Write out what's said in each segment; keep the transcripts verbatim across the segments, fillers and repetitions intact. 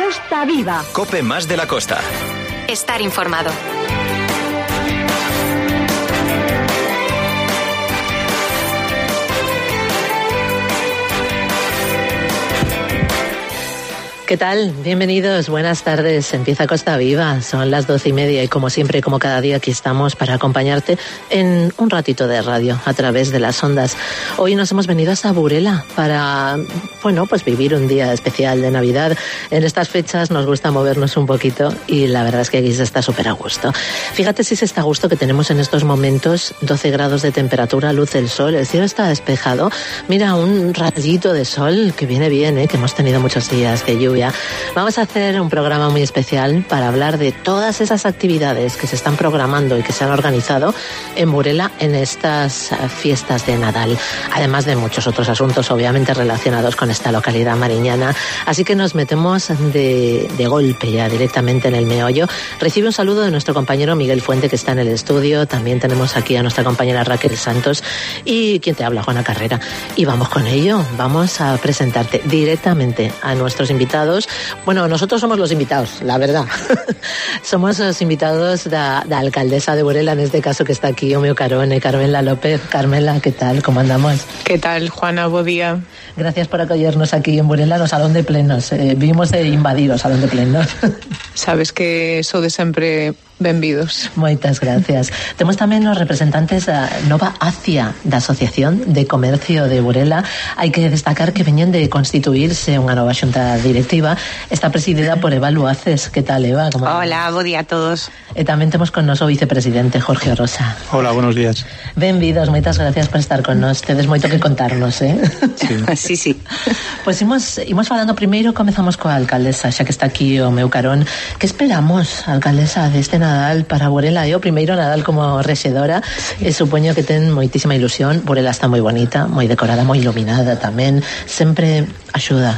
Costa Viva. COPE más de la costa. Estar informado. ¿Qué tal? Bienvenidos, buenas tardes. Empieza Costa Viva, son las doce y media y como siempre, como cada día, aquí estamos para acompañarte en un ratito de radio a través de las ondas. Hoy nos hemos venido hasta Burela para, bueno, pues vivir un día especial de Navidad. En estas fechas nos gusta movernos un poquito y la verdad es que aquí se está súper a gusto. Fíjate si se está a gusto que tenemos en estos momentos doce grados de temperatura, luz el sol, el cielo está despejado. Mira, un rayito de sol que viene bien, ¿eh? Que hemos tenido muchos días de lluvia. Vamos a hacer un programa muy especial para hablar de todas esas actividades que se están programando y que se han organizado en Burela en estas fiestas de Nadal, además de muchos otros asuntos obviamente relacionados con esta localidad mariñana. Así que nos metemos de, de golpe ya directamente en el meollo. Recibe un saludo de nuestro compañero Miguel Fuente, que está en el estudio. También tenemos aquí a nuestra compañera Raquel Santos y quien te habla, Juana Carrera. Y vamos con ello, vamos a presentarte directamente a nuestros invitados. Bueno, nosotros somos los invitados, la verdad. Somos los invitados de la alcaldesa de Burela, en este caso que está aquí, o meu carone, Carmela López. Carmela, ¿qué tal? ¿Cómo andamos? ¿Qué tal, Juana? Bo día. Gracias por acogernos aquí en Burela no Salón de Plenos. Eh, vimos de invadir o Salón de Plenos. Sabes que sodes sempre benvidos. Moitas gracias. Temos tamén os representantes da Nova Acia, da Asociación de Comercio de Burela. Hai que destacar que veñen de constituirse unha nova xunta directiva. Está presidida por Eva Luaces. Que tal, Eva? ¿Cómo Hola, bo día a todos. E tamén temos con nos o vicepresidente Jorge Rosa. Hola, buenos días. Benvidos, moitas gracias por estar con nos. Tedes moito que contarnos, eh? Sí, sí, sí. Pois imos, imos falando primeiro, comezamos coa alcaldesa, xa que está aquí o meu carón. Que esperamos, alcaldesa, deste Nadal para Burela? É o primeiro Nadal como rexedora, sí. E supoño que ten moitísima ilusión. Burela está moi bonita, moi decorada, moi iluminada tamén, sempre axuda.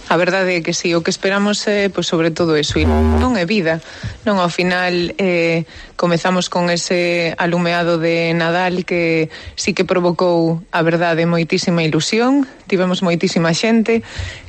A verdade é que sí, o que esperamos é, pois, sobre todo eso, e non é vida, non, ao final eh, comezamos con ese alumeado de Nadal que sí que provocou, a verdade, moitísima ilusión, tivemos moitísima xente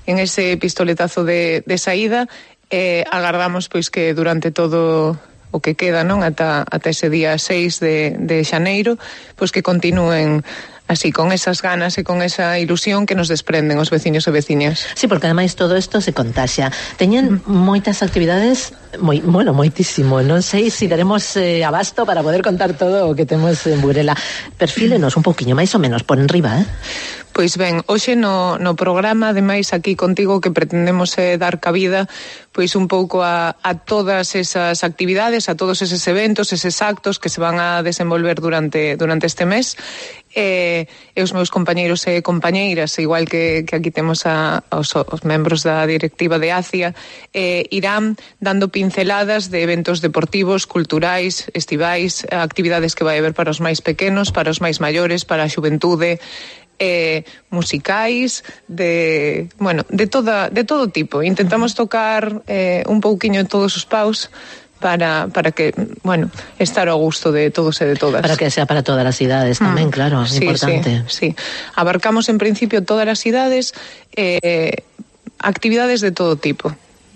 en ese pistoletazo de, de saída, e eh, agardamos pois que durante todo o que queda, non, ata, ata ese día seis de, de xaneiro, pois que continúen así, con esas ganas e con esa ilusión que nos desprenden os veciños e veciñas. Sí, porque ademais todo isto se contaxia. Teñen moitas actividades, moi, bueno, moitísimo. Non sei se si daremos eh, abasto para poder contar todo o que temos en Burela. Perfílenos un pouquiño, máis ou menos, por enriba, eh? Pois ben, hoxe no, no programa, ademais aquí contigo, que pretendemos eh, dar cabida pois un pouco a, a todas esas actividades, a todos eses eventos, eses actos que se van a desenvolver durante, durante este mes. E, e os meus compañeiros e compañeiras, igual que, que aquí temos a, os, os membros da directiva de ACIA, eh, irán dando pinceladas de eventos deportivos, culturais, estivais, actividades que vai haber para os máis pequenos, para os máis maiores, para a xuventude, eh, musicais, de, bueno, de toda, de todo tipo. Intentamos tocar eh, un pouquiño en todos os paus para, para que, bueno, estar ao gusto de todos e de todas. Para que sea para todas as idades tamén, mm. claro, é sí, importante. Sí, sí, abarcamos en principio todas as idades, eh, actividades de todo tipo.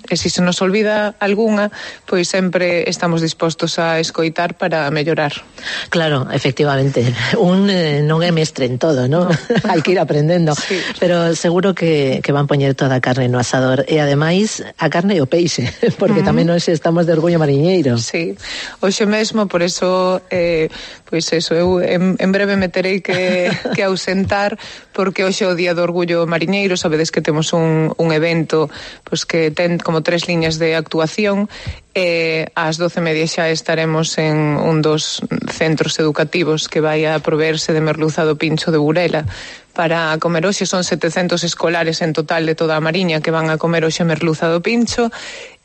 E se se nos olvida algunha, pois sempre estamos dispostos a escoitar para mellorar. Claro, efectivamente. Un eh, non é mestre en todo, ¿no? no. Hai que ir aprendendo. Sí. Pero seguro que, que van poñer toda a carne no asador. E ademais, a carne e o peixe, porque uh-huh. tamén hoxe estamos de orgullo mariñeiro. Sí, hoxe mesmo, por eso, eh, pois eso, eu en, en breve me terei que, que ausentar, porque hoxe é o Día do Orgullo Mariñeiro. Sabedes que temos un, un evento pois que ten como tres liñas de actuación. E ás doce e media xa estaremos en un dos centros educativos que vai a proveerse de merluza do Pincho de Burela para comer hoxe. Son setecentos escolares en total de toda a Mariña que van a comer hoxe merluza do Pincho.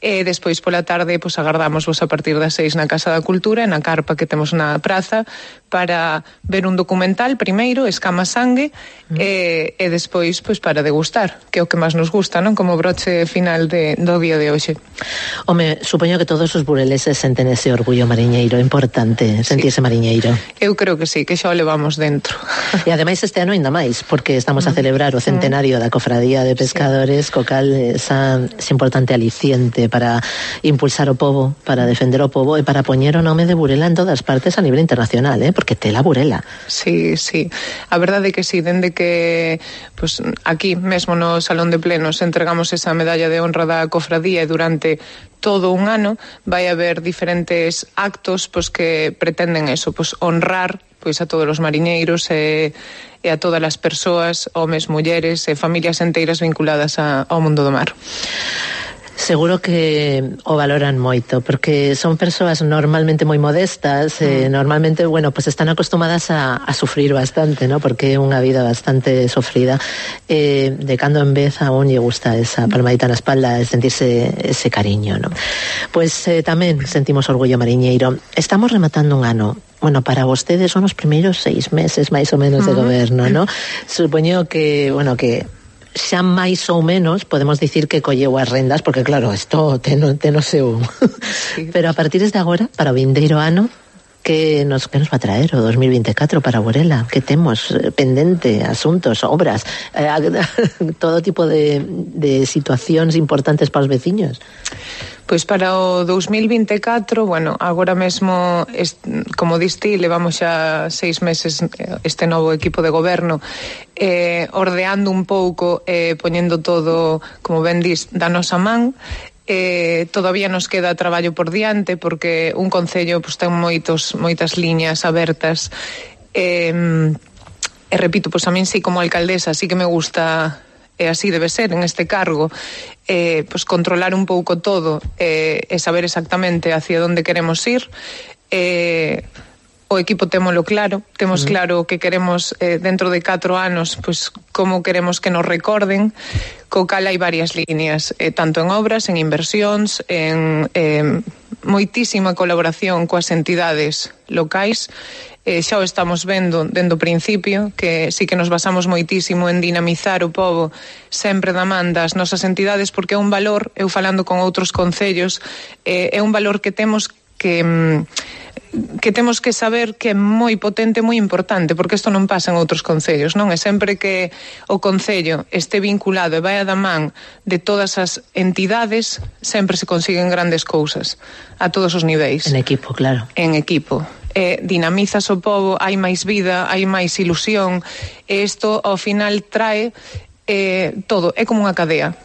E despois pola tarde pois agardamos vos a partir das seis na Casa da Cultura, na carpa que temos na praza, para ver un documental primeiro, Escama Sangue, mm. e, e despois pois para degustar, que é o que máis nos gusta, non? Como broche final de, do día de hoxe. Home, supoño que que todos os bureleses senten ese orgullo mariñeiro, importante sentirse sí. mariñeiro. Eu creo que sí, que xa o levamos dentro. E ademais este ano ainda máis, porque estamos a celebrar o centenario da Cofradía de Pescadores, sí. co cal esa, ese importante aliciente para impulsar o pobo, para defender o pobo e para poñer o nome de Burela en todas partes a nivel internacional, eh? Porque tela Burela. Sí, sí, a verdade é que sí, dende que pues, aquí mesmo no Salón de Plenos entregamos esa medalla de honra da Cofradía e durante todo un ano vai haber diferentes actos pues, que pretenden eso, pues, honrar pois a todos os mariñeiros e, e a todas as persoas, homes, mulleres e familias enteiras vinculadas a, ao mundo do mar. Seguro que o valoran moito, porque son persoas normalmente moi modestas, eh, normalmente, bueno, pues están acostumadas a, a sufrir bastante, ¿no? Porque é unha vida bastante sofrida. Eh, de cando en vez a un lle gusta esa palmadita na espalda, de sentirse ese cariño, ¿no? Pues eh, tamén sentimos orgullo mariñeiro. Estamos rematando un ano. Bueno, para vostedes son os primeiros seis meses, máis ou menos, de goberno, ¿no? Supoño que, bueno, que xa máis ou menos podemos dicir que colleu as rendas, porque claro, isto teno, teno seu. Sí. Pero a partir de agora, para o vindeiro ano, que nos, que nos va a traer o dos mil vinte e catro para Burela? Que temos pendente, asuntos, obras, eh, todo tipo de, de situacións importantes para os veciños? Pois para o dos mil vinte e catro, bueno, agora mesmo, est, como diste, levamos xa seis meses este novo equipo de goberno eh, ordeando un pouco, eh, poñendo todo, como ben dis, da nosa man. Eh, todavía nos queda traballo por diante porque un concello pues, ten moitos, moitas liñas abertas eh, e repito, pues, a min sí como alcaldesa sí que me gusta, e así debe ser en este cargo, eh, pues controlar un pouco todo eh, e saber exactamente hacia onde queremos ir. eh, o equipo témolo claro, temos uh-huh. claro que queremos eh, dentro de catro anos, pues como queremos que nos recorden, co cal hai varias líneas, eh, tanto en obras, en inversións, en eh, moitísima colaboración coas entidades locais. Eh, xa o estamos vendo dende o principio, que sí que nos basamos moitísimo en dinamizar o pobo sempre da man das nosas entidades, porque é un valor, eu falando con outros concellos, eh, é un valor que temos que... Mm, que temos que saber que é moi potente, moi importante, porque isto non pasa en outros concellos, non? É sempre que o concello este vinculado e vai a da man de todas as entidades, sempre se consiguen grandes cousas a todos os niveis. En equipo, claro. En equipo. Eh, dinamizas o pobo, hai máis vida, hai máis ilusión, e isto ao final trae eh, todo, é como unha cadea.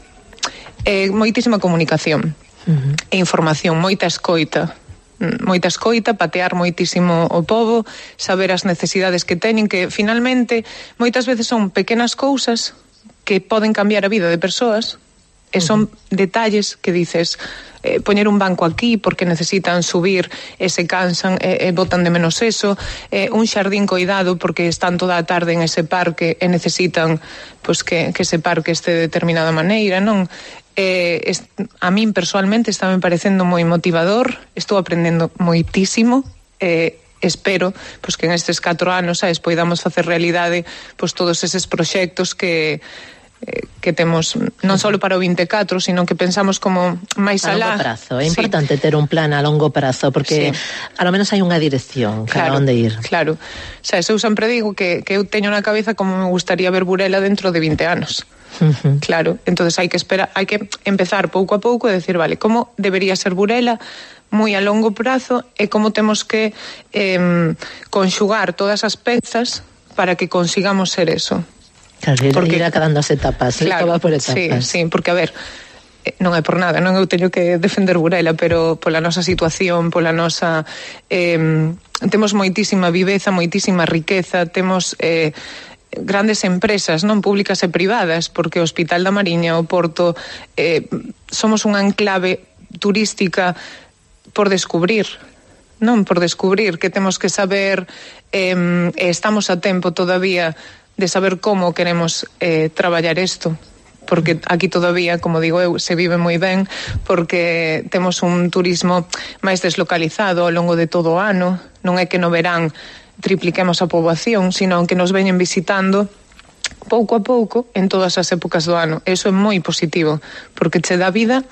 Eh, moitísima comunicación, uh-huh. e información, moita escoita, moita escoita, patear moitísimo o pobo, saber as necesidades que teñen, que finalmente moitas veces son pequenas cousas que poden cambiar a vida de persoas, e son uh-huh. detalles que dices, eh, poñer un banco aquí porque necesitan subir e se cansan e, e botan de menos eso, eh, un xardín coidado porque están toda a tarde en ese parque e necesitan pues, que, que ese parque este de determinada maneira, non? Eh, es, a min personalmente está me parecendo moi motivador, estou aprendendo moitísimo, eh, espero pues, que en estes catro anos sabes, poidamos facer realidade pues, todos eses proxectos que eh, que temos non só para o vinte e catro, sino que pensamos como máis alá. A longo prazo, é importante sí. ter un plan a longo prazo, porque sí. a lo menos hai unha dirección claro, cara onde ir. Claro, o sea, eu sempre digo que, que eu teño na cabeza como me gustaría ver Burela dentro de vinte anos. Uh-huh. Claro, entonces hai que esperar, hai que empezar pouco a pouco e decir, vale, como debería ser Burela moi a longo prazo e como temos que eh, conxugar todas as pezas para que consigamos ser eso. Claro, ir, porque ir acabando as etapas, claro, todo va por etapas. Sí, sí, porque a ver, non é por nada, non eu teño que defender Burela, pero pola nosa situación, pola nosa eh, temos moitísima viveza, moitísima riqueza, temos eh, grandes empresas, non públicas e privadas, porque o Hospital da Mariña, o Porto, eh, somos unha enclave turística por descubrir, non por descubrir, que temos que saber, eh, estamos a tempo todavía de saber como queremos eh, traballar isto, porque aquí todavía, como digo eu, se vive moi ben, porque temos un turismo máis deslocalizado ao longo de todo o ano, non é que no verán tripliquemos a poboación, sino que nos veñen visitando pouco a pouco en todas as épocas do ano. Eso é moi positivo, porque che dá vida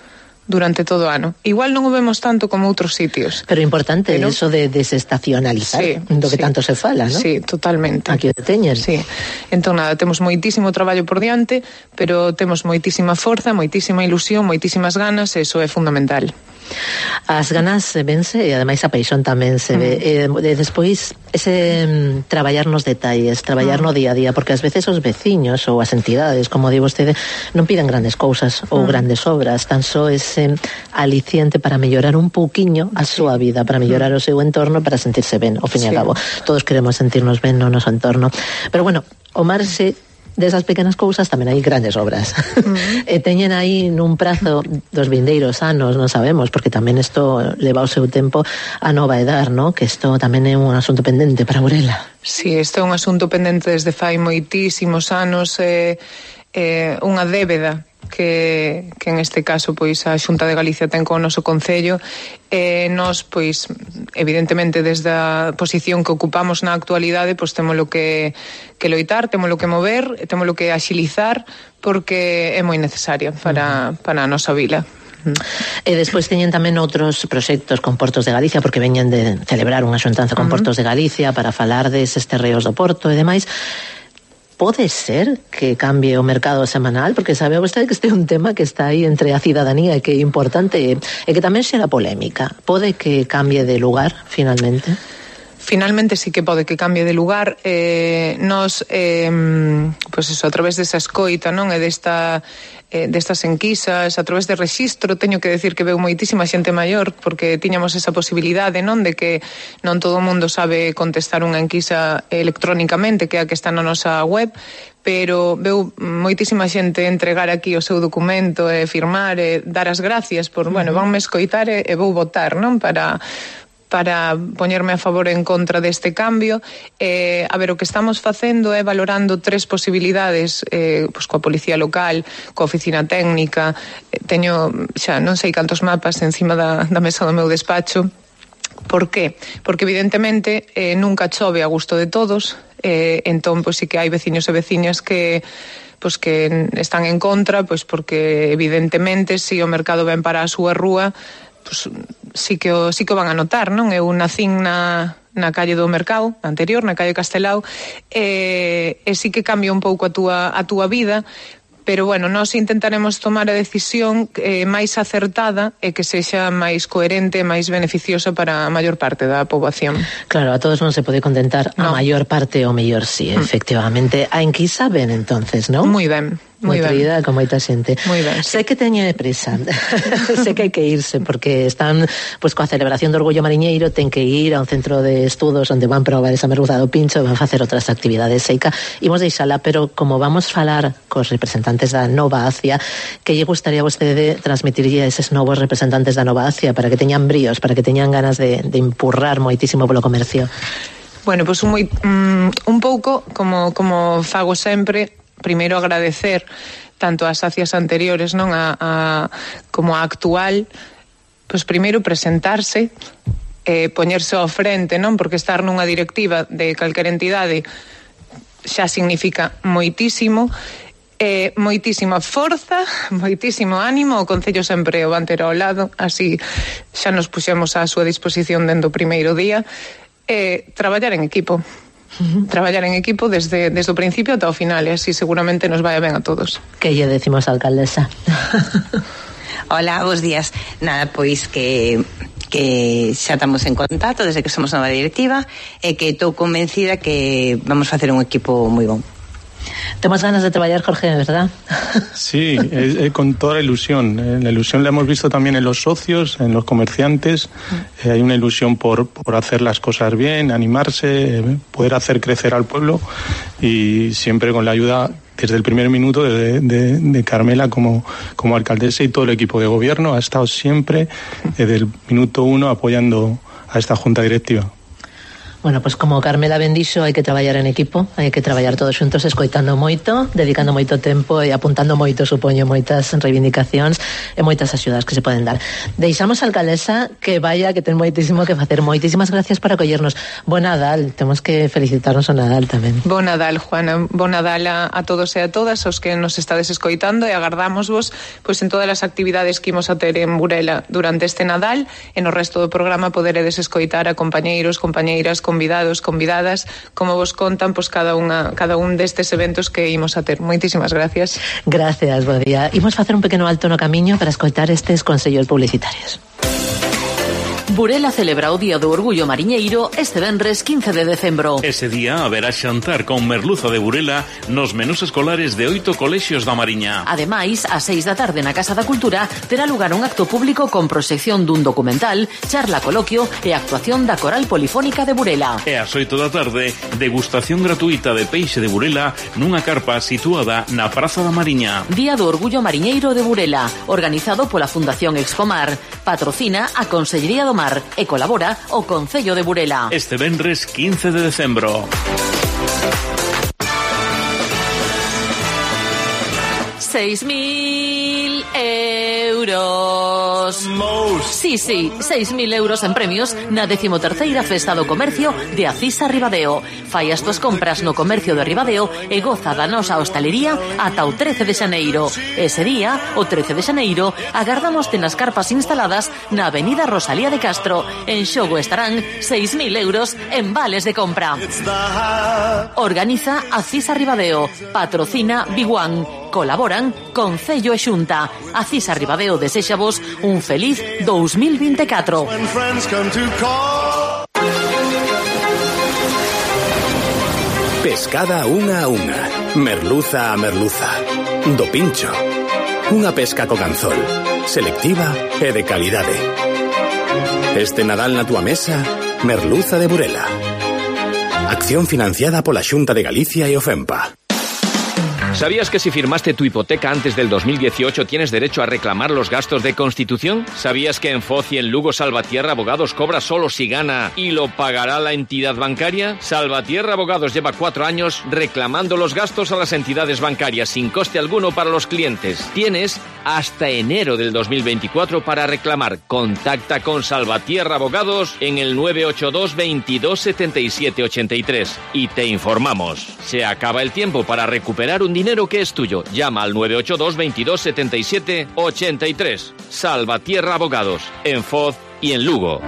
durante todo o ano. Igual non o vemos tanto como outros sitios. Pero importante pero, eso de desestacionalizar, sí, do que sí, tanto se fala, ¿no? Sí, totalmente. Aquí o teñen. Sí. Entón, nada, temos moitísimo traballo por diante, pero temos moitísima forza, moitísima ilusión, moitísimas ganas, e iso é fundamental. As ganas vense e ademais a paixón tamén se ve. Mm. E, e despois ese um, traballar nos detalles, traballar mm. no día a día, porque ás veces os veciños ou as entidades, como di vostede, non piden grandes cousas ou mm. grandes obras, tan só ese aliciente para mellorar un pouquiño a súa vida, para mellorar mm. o seu entorno, para sentirse ben, ao fin e sí. ao cabo. Todos queremos sentirnos ben no noso entorno. Pero bueno, o marxe desas pequenas cousas tamén hai grandes obras. Uh-huh. E teñen aí nun prazo dos vindeiros anos, non sabemos, porque tamén isto leva o seu tempo a nova edar, ¿no? Que isto tamén é un asunto pendente para Burela. Sí, isto é un asunto pendente desde fai moitísimos anos, é eh, eh, unha débeda que, que en este caso pois a Xunta de Galicia ten con o noso Concello, e nós pois evidentemente desde a posición que ocupamos na actualidade pois témolo que, que loitar, témolo que mover, témolo que axilizar, porque é moi necesaria para, uh-huh. para a nosa vila. E despois teñen tamén outros proxectos con Portos de Galicia, porque veñen de celebrar unha xuntanza con uh-huh. Portos de Galicia para falar deses terreos do Porto e demais. Pode ser que cambie o mercado semanal, porque sabe vostede que este é un tema que está aí entre a cidadanía e que é importante e que tamén xera polémica. Pode que cambie de lugar, finalmente? Finalmente sí que pode que cambie de lugar. Eh, nos, eh, pues eso, a través desa escoita, non? E desta... Eh, destas enquisas, a través de rexistro, teño que decir que veu moitísima xente maior, porque tiñamos esa posibilidade, non, de que non todo o mundo sabe contestar unha enquisa electrónicamente, que é a que está na nosa web, pero veu moitísima xente entregar aquí o seu documento e firmar e dar as gracias por, bueno, vanme escoitar e, e vou votar, non, para para poñerme a favor en contra deste cambio. Eh, a ver, o que estamos facendo é valorando tres posibilidades, eh, pois coa Policía Local, coa Oficina Técnica, eh, teño xa non sei cantos mapas encima da, da mesa do meu despacho. Por qué? Porque evidentemente eh, nunca chove a gusto de todos, eh, entón pois sí que hai veciños e veciñas que pois que están en contra, pois porque evidentemente se o mercado ven para a súa rúa, pois sí que o, sí que o van a notar, non? Eu nacín na, na calle do Mercado, anterior, na calle Castelao, e, e sí que cambia un pouco a túa, a túa vida, pero bueno, nós intentaremos tomar a decisión eh, máis acertada e que sexa máis coherente e máis beneficiosa para a maior parte da poboación. Claro, a todos non se pode contentar, no. A maior parte o mellor sí, mm. efectivamente. A enquisa ben entonces, non? Moi ben. Moi querida, con moita xente. Moi ben, sí. Sei que teñe presa. Sei que hai que irse porque están pois coa celebración do Orgullo Mariñeiro, ten que ir a un centro de estudos onde van probar esa merluza do pincho e van facer outras actividades. Seica, imos deixala, pero como vamos falar cos representantes da Nova Acia, que lle gustaría a vostede transmitirlle a eses novos representantes da Nova Acia para que teñan bríos, para que teñan ganas de, de empurrar moitísimo polo comercio? Bueno, pois un, moi, um, un pouco como, como fago sempre. Primeiro agradecer tanto as acias anteriores, non, a, a como a actual, pois primeiro presentarse, eh, poñerse ao frente, non, porque estar nunha directiva de calquera entidade xa significa moitísimo, eh, moitísima forza, moitísimo ánimo. O Concello sempre o van ter ao lado, así xa nos puxemos á súa disposición dende o primeiro día, e eh, traballar en equipo. Uh-huh. Traballar en equipo desde, desde o principio ata o final, e así seguramente nos vai ben a todos. Que lle decimos a alcaldesa? Hola, bons días. Nada, pois que que xa estamos en contacto desde que somos nova directiva e que estou convencida que vamos facer un equipo moi bon. Temos ganas de traballar, Jorge, ¿verdad? Sí, es, es con toda la ilusión. Eh, la ilusión la hemos visto también en los socios, en los comerciantes. Eh, hay una ilusión por, por hacer las cosas bien, animarse, eh, poder hacer crecer al pueblo, y siempre con la ayuda desde el primer minuto de, de, de Carmela como, como alcaldesa, y todo el equipo de gobierno ha estado siempre desde el minuto uno apoyando a esta junta directiva. Bueno, pues como Carmela ben dixo, hai que traballar en equipo, hai que traballar todos xuntos, escoitando moito, dedicando moito tempo e apuntando moito, supoño, moitas reivindicacións e moitas axudas que se poden dar. Deixamos a alcaldesa que vaya, que ten moitísimo que facer. Moitísimas gracias por acollernos. Bo Nadal, temos que felicitarnos o Nadal tamén. Bo Nadal, Juana, bo Nadal a, a todos e a todas os que nos estades escoitando, e agardámosvos pois en todas as actividades que imos a ter en Burela durante este Nadal, e no resto do programa poderedes escoitar a compañeiros, compañeiras, convidados, convidadas, como vos contan pois cada unha cada un destes eventos que imos a ter. Moitísimas gracias. Gracias, bo día. Imos facer un pequeno alto no camiño para escoitar estes consellos publicitarios. Burela celebra o Día do Orgullo Mariñeiro este venres quince de decembro. Ese día haberá xantar con merluza de Burela nos menús escolares de oito colexios da Mariña. Ademais, ás seis da tarde na Casa da Cultura terá lugar un acto público con proxección dun documental, charla coloquio e actuación da Coral Polifónica de Burela. E ás oito da tarde, degustación gratuita de peixe de Burela nunha carpa situada na Praza da Mariña. Día do Orgullo Mariñeiro de Burela, organizado pola Fundación Expomar. Patrocina a Consellería do Mar e colabora o Concello de Burela. Este venres quince de decembro. Seis mil euros. Sí, sí, seis mil euros en premios na decimoterceira Festa do Comercio de Acisa Ribadeo. Fai as tuas compras no comercio de Ribadeo e goza da nosa hostalería ata o trece de xaneiro. Ese día, o trece de xaneiro, agardámoste nas carpas instaladas na Avenida Rosalía de Castro. En xogo estarán seis mil euros en vales de compra. Organiza Acisa Ribadeo. Patrocina Biguan. Colaboran Concello e Xunta. Acisa Ribadeo desexavos un feliz dous mil vinte e catro. Pescada unha a unha, merluza a merluza, do pincho. Unha pesca co anzol, selectiva e de calidade. Este Nadal na túa mesa, merluza de Burela. Acción financiada pola Xunta de Galicia e o FEMPA. ¿Sabías que si firmaste tu hipoteca antes del dos mil dieciocho tienes derecho a reclamar los gastos de constitución? ¿Sabías que en Foz y en Lugo Salvatierra Abogados cobra solo si gana y lo pagará la entidad bancaria? Salvatierra Abogados lleva cuatro años reclamando los gastos a las entidades bancarias sin coste alguno para los clientes. Tienes hasta enero del dos mil veinticuatro para reclamar. Contacta con Salvatierra Abogados en el nueve ocho dos, veintidós, setenta y siete, ochenta y tres y te informamos. Se acaba el tiempo para recuperar un dinero que es tuyo. Llama al nueve ocho dos, veintidós, setenta y siete, ochenta y tres. Salvatierra Abogados, en Foz y en Lugo.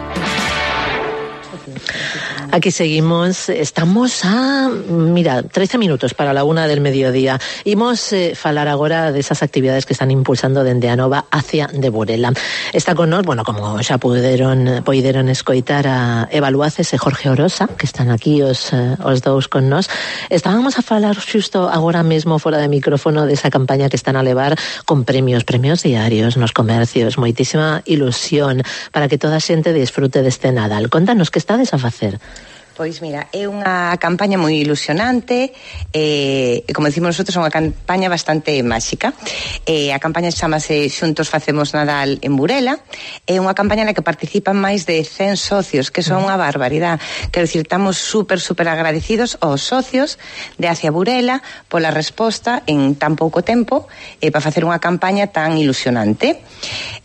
Aquí seguimos, estamos a, mira, trece minutos para la una del mediodía. Imos eh, falar agora desas actividades que están impulsando dende a Nova hacia de Burela. Está con nós, bueno, como xa puderon, poideron escoitar a Eva Luaces e Jorge Orosa, que están aquí os, os dous con nós. Estábamos a falar xusto agora mesmo fora de micrófono desa campaña que están a levar con premios, premios diarios nos comercios, moitísima ilusión para que toda a xente disfrute deste Nadal. Contanos, que estades a facer? Pois mira, é unha campaña moi ilusionante, e, como decimos nosotros, é unha campaña bastante máxica. E, a campaña chamase Xuntos Facemos Nadal en Burela. É unha campaña na que participan máis de cen socios, que son unha barbaridade. Quero dicir, estamos super, super agradecidos aos socios de Hacia Burela pola resposta en tan pouco tempo eh, para facer unha campaña tan ilusionante.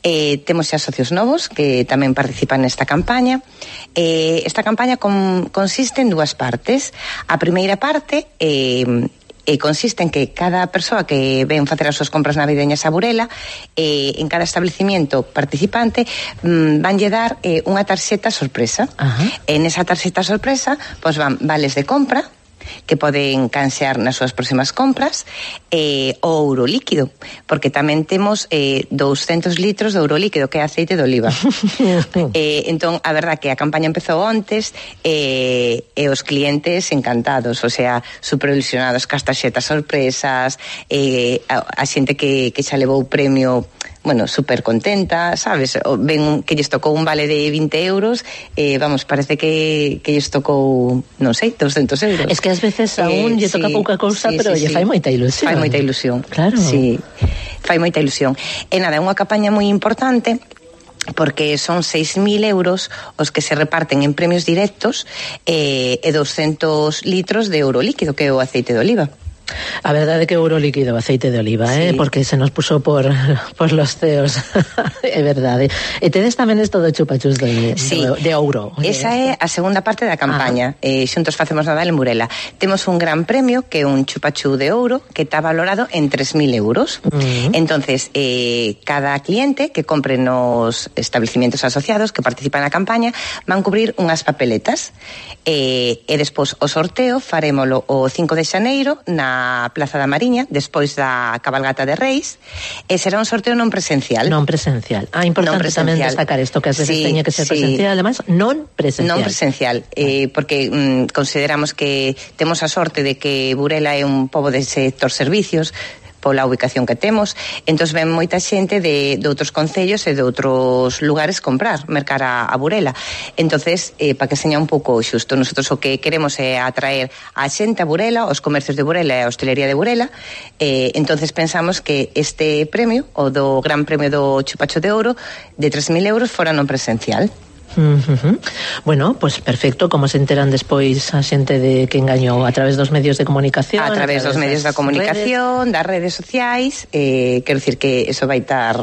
Eh, temos xa socios novos que tamén participan nesta campaña. Eh, esta campaña con, consiste en dúas partes. A primeira parte eh, eh, consiste en que cada persoa que ven facer as súas compras navideñas a Burela, eh, en cada establecimiento participante mm, vanlle dar eh, unha tarxeta sorpresa. Ajá. En esa tarxeta sorpresa pois van vales de compra que poden canxear nas súas próximas compras, eh, o ouro líquido, porque tamén temos eh, douscentos litros de ouro líquido, que é aceite de oliva. eh, entón, a verdad que a campaña empezou antes eh, e os clientes encantados, o sea, super ilusionados cas tarxetas sorpresas, eh, a, a xente que, que xa levou o premio, bueno, super contenta, sabes? Ven que lles tocou un vale de vinte euros, eh, vamos, parece que, que lles tocou, non sei, doscentos euros. Es que ás veces a un lle eh, toca sí, pouca cousa, sí, pero sí, lle sí. fai moita ilusión. Fai moita ilusión. Claro. Sí, fai moita ilusión. E nada, é unha campaña moi importante, porque son seis mil euros os que se reparten en premios directos eh, e doscientos litros de euro líquido, que é o aceite de oliva. A verdade é que euro líquido, aceite de oliva, sí. eh, porque se nos puso por, por los ceos. É verdade. E tedes tamén isto de chupachus de, sí. de, de ouro. Esa é a segunda parte da campaña. Eh, xuntos facemos Nadal en Burela. Temos un gran premio que é un chupachú de ouro que está valorado en tres mil euros. Uh-huh. Entonces, eh, cada cliente que compre nos establecimientos asociados que participan na campaña van cubrir unhas papeletas. Eh, e despois o sorteo farémolo o cinco de xaneiro na Plaza da Mariña, despois da cabalgata de Reis, e será un sorteo non presencial. Non presencial. Ah, importante non presencial. Tamén destacar isto, que ás veces sí, teña que ser sí. presencial, ademais, non presencial. Non presencial, eh, porque mm, consideramos que temos a sorte de que Burela é un pobo de sector servicios, pola ubicación que temos, entón ven moita xente de, de outros concellos e de outros lugares comprar, mercar a, a Burela. Entonces, eh, para que seña un pouco xusto, nosotros o que queremos é atraer a xente a Burela, os comercios de Burela e a hostelería de Burela, eh, entonces pensamos que este premio, o do Gran Premio do Chupacho de Ouro, de tres mil euros fora non presencial. Uh-huh. Bueno, pues perfecto. Como se enteran despois a xente de que engañou? A través dos medios de comunicación? A través, a través dos medios da comunicación, redes. das redes sociais, eh, quero dicir que eso vai estar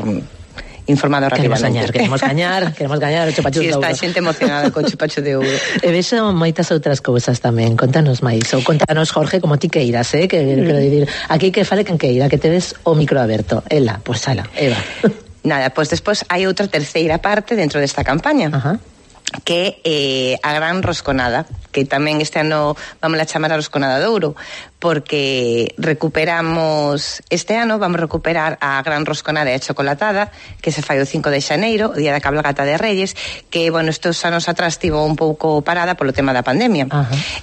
informado rapidamente. Queremos gañar, queremos gañar, queremos gañar o chupacho sí, de ouro. Si está xente emocionada con chupacho de ouro. E vexo moitas outras cousas tamén. Contanos máis, ou contanos, Jorge, como ti queiras, eh? Que mm. quero dicir, aquí que fale quen queira, que tedes o micro aberto. Ela, pois pues, ala, Eva. Nada, pois pues despois hai outra terceira parte dentro desta campaña. Ajá. Que é eh, a gran rosconada, que tamén este ano vamos a chamar a rosconada de ouro, porque recuperamos, este ano vamos a recuperar a gran rosconada e a chocolatada, que se fai o cinco de xaneiro, o día da cabalgata de Reyes, que, bueno, estos anos atrás estivo un pouco parada polo tema da pandemia.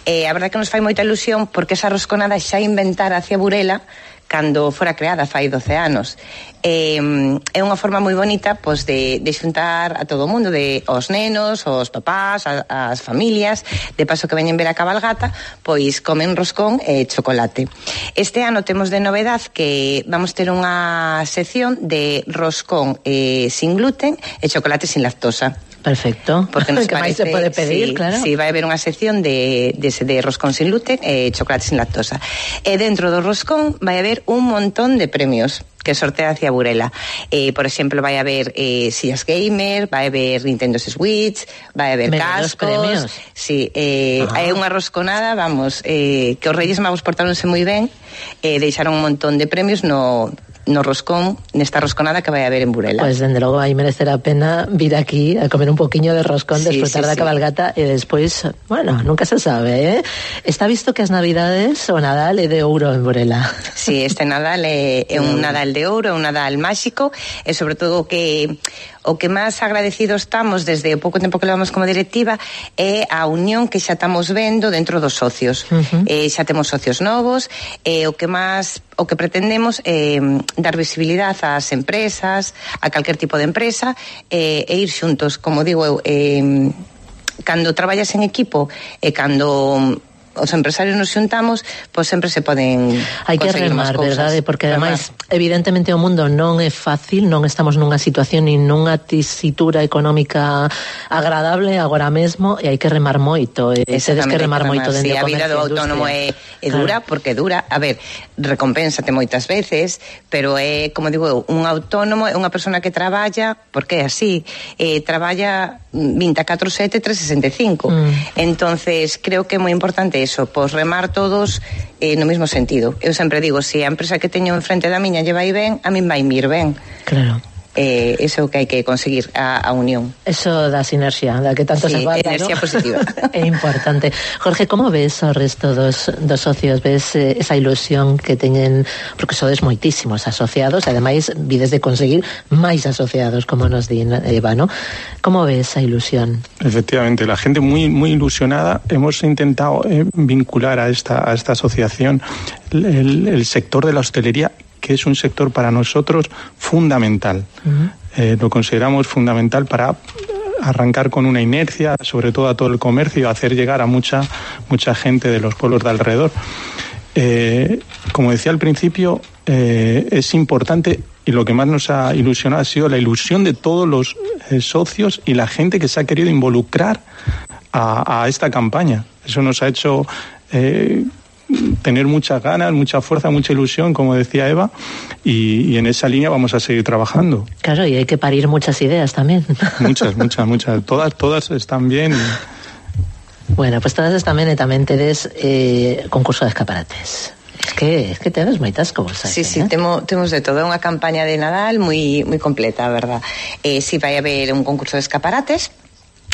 E eh, a verdade que nos fai moita ilusión, porque esa rosconada xa inventara hacia Burela cando fora creada fai doce anos. Eh, é unha forma moi bonita, pois, de, de xuntar a todo o mundo, de os nenos, os papás, a, as familias, de paso que veñen ver a cabalgata, pois comen roscón e chocolate. Este ano temos de novedad que vamos ter unha sección de roscón eh, sin gluten e chocolate sin lactosa. Perfecto. Porque nos que parece, máis se pode pedir, sí, claro. Sí, vai haber unha sección de, de, de roscón sin gluten e chocolate sin lactosa. E dentro do roscón vai haber un montón de premios que sortea hacia Burela. Eh, por exemplo, vai haber eh, sillas gamer, vai haber Nintendo Switch, vai haber Menudos cascos. Premios. Sí, eh, hai unha rosconada, vamos, eh, que os Reyes Magos portáronse moi ben, eh, deixaron un montón de premios no no roscón, nesta rosconada que vai haber en Burela. Pois, pues, dende logo, aí merecer a pena vir aquí a comer un poquinho de roscón, sí, desfrutar sí, da sí. cabalgata e despois, bueno, nunca se sabe, eh? Está visto que as Navidades o Nadal é de ouro en Burela. Sí, este Nadal é, é un Nadal de ouro, é un Nadal máxico, e sobre todo que o que máis agradecidos estamos desde o pouco tempo que levamos como directiva é a unión que xa estamos vendo dentro dos socios. Uh-huh. Eh, xa temos socios novos, e o que máis o que pretendemos é dar visibilidade ás empresas, a calquer tipo de empresa, e, e ir xuntos, como digo eu, eh, cando traballas en equipo e cando os empresarios nos xuntamos, pois sempre se poden hai que remar, verdade? Porque ademais, evidentemente o mundo non é fácil, non estamos nunha situación nin nunha tesitura económica agradable agora mesmo, e hai que remar moito, e tedes que remar moito dentro do comercio. A vida do autónomo é, é dura, claro. Porque é dura, a ver, recompénsate moitas veces, pero é, como digo eu, un autónomo é unha persona que traballa, porque é así, eh, traballa veinticuatro sete, trescentos sesenta e cinco. Mm. Entonces, creo que é moi importante eso, pois remar todos eh, no mesmo sentido. Eu sempre digo, se a empresa que teño enfrente da miña lle vai ben, a min vai mir ben. Claro. Eh, eso é o que hai que conseguir, a, a unión. Eso da sinerxia, da que tanto sí, se falta, enerxía, ¿no? Positiva. É importante. Jorge, como ves o resto dos, dos socios? Ves eh, esa ilusión que teñen, porque sodes moitísimos asociados, e ademais vides de conseguir máis asociados, como nos di Eva, ¿no? Como ves esa ilusión? Efectivamente, la gente muy, muy ilusionada. Hemos intentado eh, vincular a esta, a esta asociación el, el sector de la hostelería, que es un sector para nosotros fundamental. Uh-huh. Eh, lo consideramos fundamental para arrancar con una inercia, sobre todo a todo el comercio, hacer llegar a mucha, mucha gente de los pueblos de alrededor. Eh, como decía al principio, eh, es importante y lo que más nos ha ilusionado ha sido la ilusión de todos los eh, socios y la gente que se ha querido involucrar a, a esta campaña. Eso nos ha hecho eh, tener muchas ganas, mucha fuerza, mucha ilusión, como decía Eva, y, y en esa línea vamos a seguir trabajando. Claro, y hay que parir muchas ideas también. Muchas, muchas, muchas. Todas, todas están bien. Bueno, pues todas están bien, y también tedes eh, concurso de escaparates. Es que, es que tedes moitas cousas. Sí, sí, eh? temo, temos de todo. É unha campaña de Nadal moi, moi completa, a verdad. Eh, si vai haber un concurso de escaparates,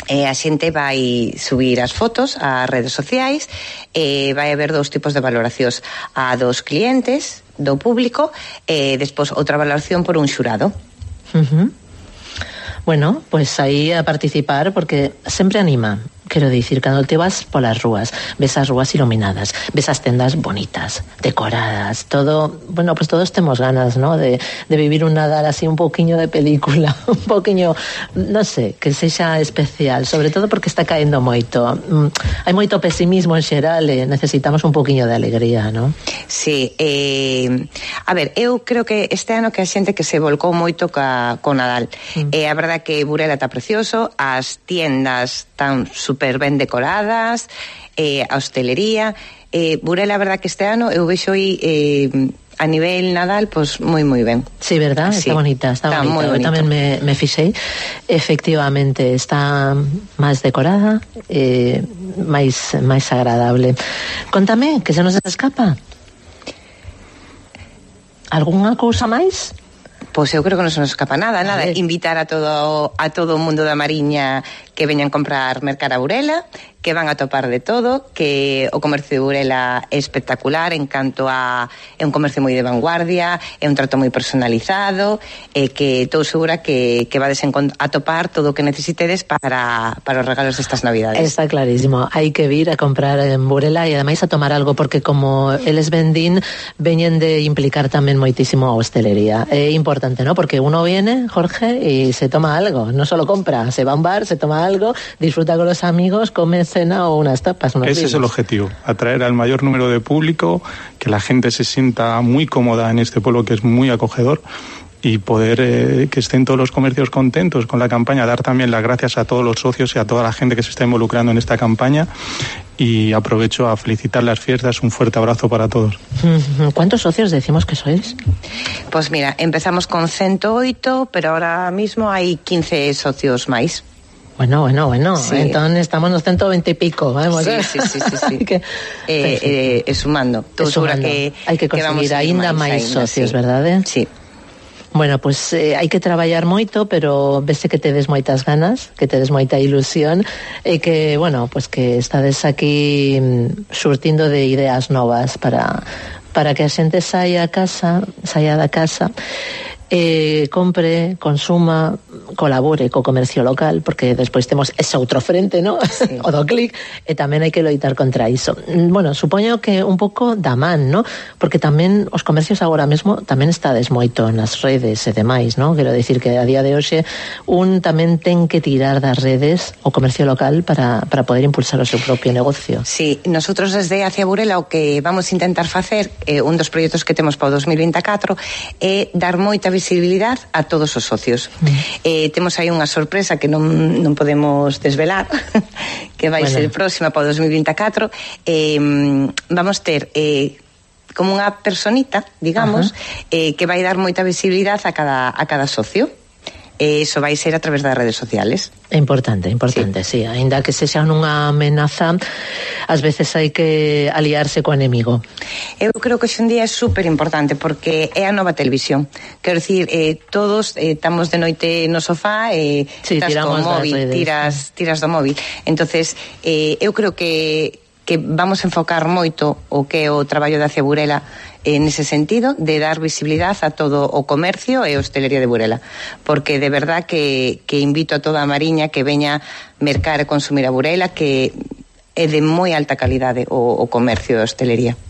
Eh, a xente vai subir as fotos ás redes sociais, eh, vai haber dous tipos de valoracións, a dos clientes, do público, e eh, despois outra valoración por un xurado. Uh-huh. Bueno, pues aí a participar, porque sempre anima. Quero dicir, cando te vas polas rúas, ves as rúas iluminadas, ves as tendas bonitas, decoradas, todo, bueno, pues todos temos ganas, ¿no?, de, de vivir un Nadal así un poquinho de película, un poquinho, no sé, que sexa especial, sobre todo porque está caendo moito. Mm, hai moito pesimismo en xeral e necesitamos un poquinho de alegría, ¿no? Sí, eh, a ver, eu creo que este ano que a xente que se volcou moito ca, co Nadal. Mm. Eh, a verdad que Burela está precioso, as tiendas están super ben decoradas, eh, a hostelería, eh, Burela, a verdad que este ano eu vexo aí eh, a nivel Nadal, pues moi moi ben. Sí, verdad, sí. Está bonita, está, está bonita. Eu tamén me, me fixei, efectivamente está máis decorada, eh, máis máis agradable. Contame, que se nos escapa? Algunha cousa máis? Pois eu creo que non se nos escapa nada, nada. Invitar a todo a todo o mundo da Mariña que veñan comprar mercar a Burela, que van a topar de todo, que o comercio de Burela é espectacular en canto a é un comercio moi de vanguardia, é un trato moi personalizado, e que estou segura que, que vades a topar todo o que necesitedes para, para os regalos destas Navidades. Está clarísimo, hai que vir a comprar en Burela e ademais a tomar algo, porque como eles vendín, veñen de implicar tamén moitísimo a hostelería. É importante, ¿no? Porque uno viene, Jorge, y se toma algo, no solo compra, se va a un bar, se toma algo, disfruta con los amigos, come cena o unas tapas. Unos Ese vinos. Es el objetivo, atraer al mayor número de público, que la gente se sienta muy cómoda en este pueblo que es muy acogedor, y poder eh, que estén todos los comercios contentos con la campaña, dar también las gracias a todos los socios y a toda la gente que se está involucrando en esta campaña, y aprovecho a felicitar las fiestas, un fuerte abrazo para todos. ¿Cuántos socios decimos que sois? Pues mira, empezamos con ciento ocho, pero ahora mismo hay quince socios máis. Bueno, bueno, bueno, sí. Entón estamos nos ciento veinte e pico, vamos. Sí, sí, sí, sí, sí. que, eh, eh, sumando. Estou segura que hai que conseguir aínda máis socios, sí. Verdade? Sí. Bueno, pues eh, hai que traballar moito, pero vese que tedes moitas ganas, que tedes moita ilusión, e que, bueno, pues que estades aquí surtindo de ideas novas para para que a xente saia a casa, saia da casa, eh, compre, consuma, colabore co comercio local, porque despois temos ese outro frente, ¿no? Sí. O do clic, e tamén hai que loitar contra iso. Bueno, supoño que un pouco da man, ¿no? Porque tamén os comercios agora mesmo tamén estades moito nas redes e demais, ¿no? Quero dicir que a día de hoxe un tamén ten que tirar das redes o comercio local para, para poder impulsar o seu propio negocio. Sí, nosotros desde Hacia Burela o que vamos a intentar facer, eh, un dos proxectos que temos para o dos mil vinte e catro, é dar moita visibilidade a todos os socios. Mm. Eh, temos aí unha sorpresa que non, non podemos desvelar, que vai bueno. ser próxima para o dos mil vinte e catro. Eh, vamos ter eh, como unha personita, digamos, eh, que vai dar moita visibilidade a cada, a cada socio. E iso vai ser a través das redes sociales. É importante, importante, sí. sí. Ainda que sexa unha amenaza, ás veces hai que aliarse co enemigo. Eu creo que hoxe en día é super importante, porque é a nova televisión. Quero dicir, eh, todos eh, estamos de noite no sofá e eh, sí, estás co móvil, redes, tiras, sí. tiras do móvil. Entonces, eh, eu creo que que vamos a enfocar moito o que é o traballo de Hacia Burela en ese sentido, de dar visibilidade a todo o comercio e a hostelería de Burela, porque de verdad que, que invito a toda a Mariña que veña mercar e consumir a Burela, que é de moi alta calidade o, o comercio e a hostelería.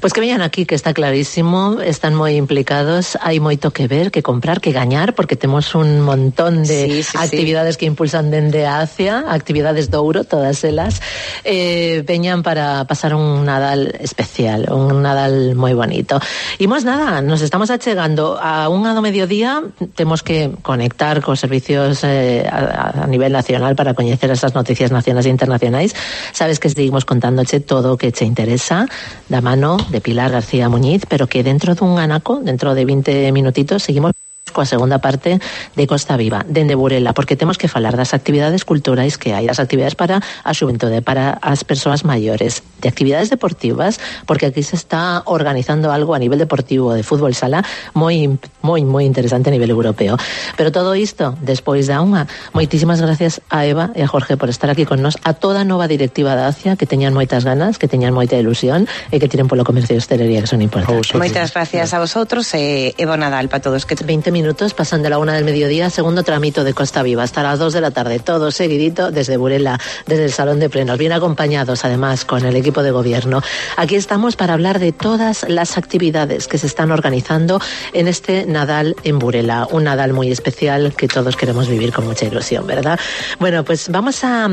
Pues que veñan aquí, que está clarísimo, están moi implicados, hai moito que ver, que comprar, que gañar, porque temos un montón de sí, sí, actividades sí. que impulsan dende Asia, actividades de ouro, todas elas, eh, veñan para pasar un Nadal especial, un Nadal moi bonito. Imos nada, nos estamos achegando a unha do mediodía, temos que conectar cos servicios eh, a, a nivel nacional para coñecer esas noticias nacionais e internacionais. Sabes que seguimos contándoche todo o que che interesa, da mano de Pilar García Muñiz, pero que dentro dun anaco, dentro de veinte minutitos, seguimos coa segunda parte de Costa Viva, dende Burela, porque temos que falar das actividades culturais que hai, das actividades para a xuventude, para as persoas maiores, de actividades deportivas, porque aquí se está organizando algo a nivel deportivo de fútbol sala moi moi moi interesante a nivel europeo. Pero todo isto despois da unha. Moitísimas gracias a Eva e a Jorge por estar aquí con nós, a toda a nova directiva da A C I A, que teñan moitas ganas, que teñan moita ilusión e que tiren polo comercio de hostelería, que son importantes. Moitas gracias a vosotros e, e bon Nadal para todos. Que veinte minutos pasan de la una del mediodía, segundo tramito de Costa Viva, hasta las dos de la tarde, todo seguidito desde Burela, desde el Salón de Plenos, bien acompañados además con el equipo de gobierno. Aquí estamos para hablar de todas las actividades que se están organizando en este Nadal en Burela, un Nadal muy especial que todos queremos vivir con mucha ilusión, ¿verdad? Bueno, pues vamos a...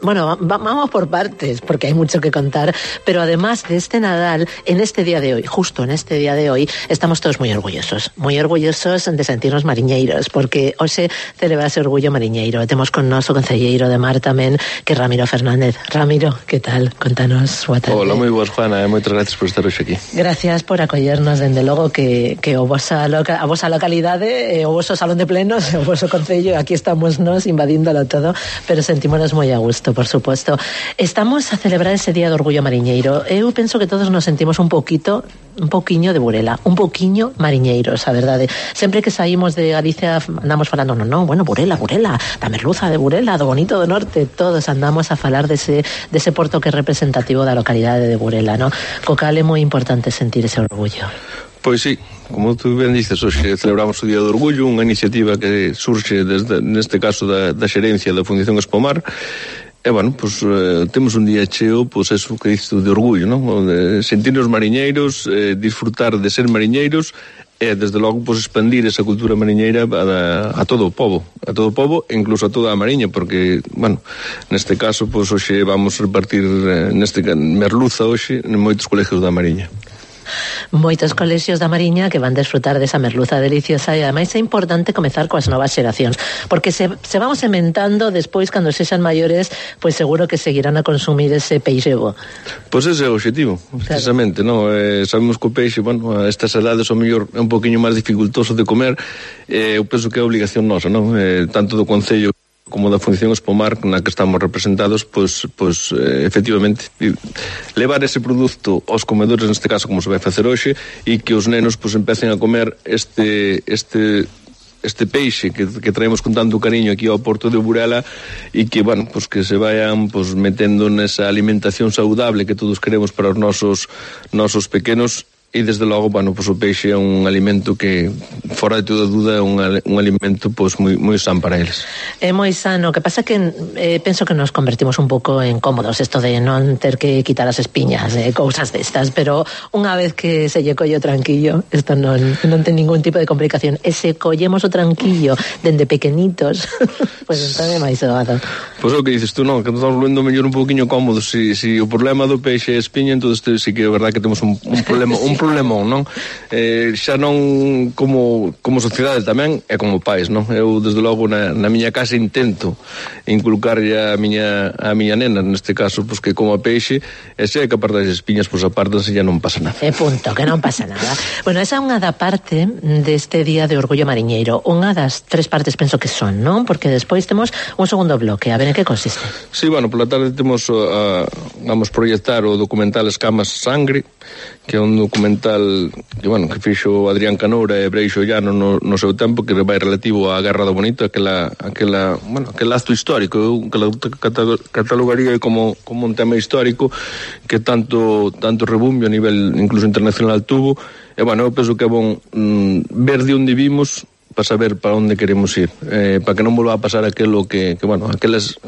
Bueno, vamos por partes, porque hay mucho que contar, pero además de este Nadal, en este día de hoy, justo en este día de hoy, estamos todos muy orgullosos, muy orgullosos de sentirnos mariñeiros, porque hoxe celebra ese orgullo mariñeiro. Temos con nos o concelleiro de Mar tamén, que é Ramiro Fernández. Ramiro, que tal? Contanos. Hola, moi boas, Juana, e moitas gracias por estar hoxe aquí. Gracias por acollernos, dende logo, que, que o vosa loca, a vosa localidade, o voso salón de plenos, o voso concello, aquí estamos nos invadíndolo todo, pero sentímonos moi a gusto, por supuesto. Estamos a celebrar ese Día do Orgullo Mariñeiro. Eu penso que todos nos sentimos un poquito, un poquiño de Burela, un poquiño mariñeiros, a verdade. Sempre que saímos de Galicia andamos falando, no, no, bueno, Burela, Burela, da merluza de Burela, do bonito do norte, todos andamos a falar dese, dese porto que é representativo da localidade de Burela, no? Co cal é moi importante sentir ese orgullo. Pois sí, como tú ben dices, hoxe celebramos o Día do Orgullo, unha iniciativa que surxe desde, neste caso da, da xerencia da Fundación Espomar. E, bueno, pues, eh, temos un día cheo, pues, eso que dices tú, de orgullo, non? De sentirnos mariñeiros, eh, disfrutar de ser mariñeiros e, desde logo, pues, expandir esa cultura mariñeira a, a todo o pobo, a todo o pobo e incluso a toda a mariña, porque, bueno, neste caso, pues, hoxe vamos repartir eh, neste merluza hoxe en moitos colegios da mariña. Moitos colexios da Mariña que van desfrutar desa merluza deliciosa, e ademais é importante comezar coas novas xeracións, porque se, se vamos sementando despois, cando sexan maiores, pois seguro que seguirán a consumir ese peixe bo. Pois ese é o obxectivo, precisamente, claro. No? Eh, sabemos que o peixe, bueno, a estas edades o mellor é un poquinho máis dificultoso de comer, eh, eu penso que é obligación nosa, non? Eh, tanto do Concello como da Fundación Espomar, na que estamos representados, pois, pois eh, efectivamente levar ese produto aos comedores, neste caso como se vai facer hoxe, e que os nenos pois empecen a comer este este este peixe que, que traemos con tanto cariño aquí ao porto de Burela, e que, bueno, pois que se vayan pois metendo nesa alimentación saudable que todos queremos para os nosos nosos pequenos. E, desde logo, bueno, pues, o peixe é un alimento que, fora de toda dúda, é un, un alimento pues, moi, moi san para eles. É moi sano. O que pasa que eh, penso que nos convertimos un pouco en cómodos, isto de non ter que quitar as espiñas, eh, cousas destas, pero unha vez que se lle collo tranquillo, isto non, non ten ningún tipo de complicación. E se collemos o tranquillo dende pequenitos, pois pues, entón é máis doado. Pois pues, o que dices tú, non, que nos estamos volvendo mellor un pouquinho cómodos. Si, si o problema do peixe é espiña, entón sí que é verdad que temos un, un problema, un problemón, non? Eh, xa non como, como sociedade tamén e como pais, non? Eu, desde logo, na, na miña casa intento inculcar a miña, a miña nena, neste caso, pois que como a peixe, e se é que aparte das espiñas, pois aparte se ya non pasa nada. E punto, que non pasa nada. Bueno, esa é unha da parte deste Día de Orgullo Mariñeiro. Unha das tres partes penso que son, non? Porque despois temos un segundo bloque. A ver, en que consiste? Sí, bueno, pola tarde temos a, vamos proyectar o documental Escamas Sangre, que é un documental que, bueno, que fixo Adrián Canoura e Breixo Llano no, no seu tempo, que vai relativo á Guerra do Bonito, aquela, aquela, bueno, aquel acto histórico, que la catalogaría como, como un tema histórico que tanto tanto rebumbio a nivel incluso internacional tuvo. E, bueno, eu penso que é bon mm, ver de onde vimos para saber para onde queremos ir, eh, para que non volva a pasar aquilo que, que bueno, aquelas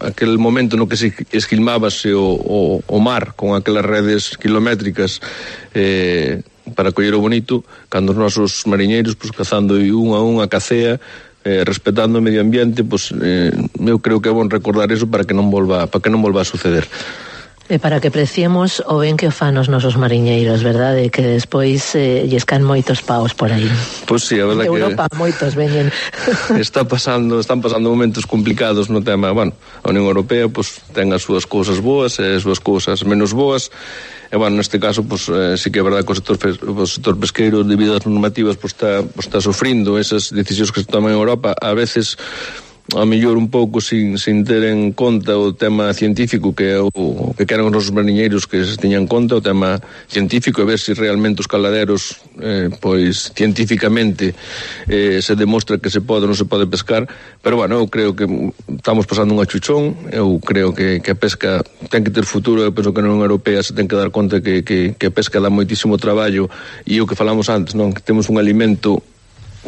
aquel momento no que se esquilmábase o, o, o mar con aquelas redes kilométricas eh, para coller o bonito, cando os nosos mariñeiros pues, cazando un a un a cacea, eh, respetando o medio ambiente, pues, eh, eu creo que é bon recordar eso para que non volva, para que non volva a suceder. E para que preciemos o ben que o fan os nosos mariñeiros, verdade? Que despois eh, lles can moitos paos por aí. Pois pues sí, a verdade que Europa moitos veñen. Está pasando, están pasando momentos complicados no tema, bueno, a Unión Europea pues ten as súas cousas boas e as súas cousas menos boas. E bueno, neste caso pues eh, sí que é verdade que o sector, o sector pesqueiro debido ás normativas pues está, pues, está sofrindo esas decisións que se toman en Europa, a veces a mellor un pouco sin, sin ter en conta o tema científico que é o, o que queran os nosos mariñeiros que se teñan en conta o tema científico e ver se realmente os caladeros eh, pois científicamente eh, se demostra que se pode ou non se pode pescar, pero bueno, eu creo que estamos pasando un achuchón, eu creo que, que a pesca ten que ter futuro, eu penso que na Unión Europea se ten que dar conta que, que, que a pesca dá moitísimo traballo e o que falamos antes, non? Que temos un alimento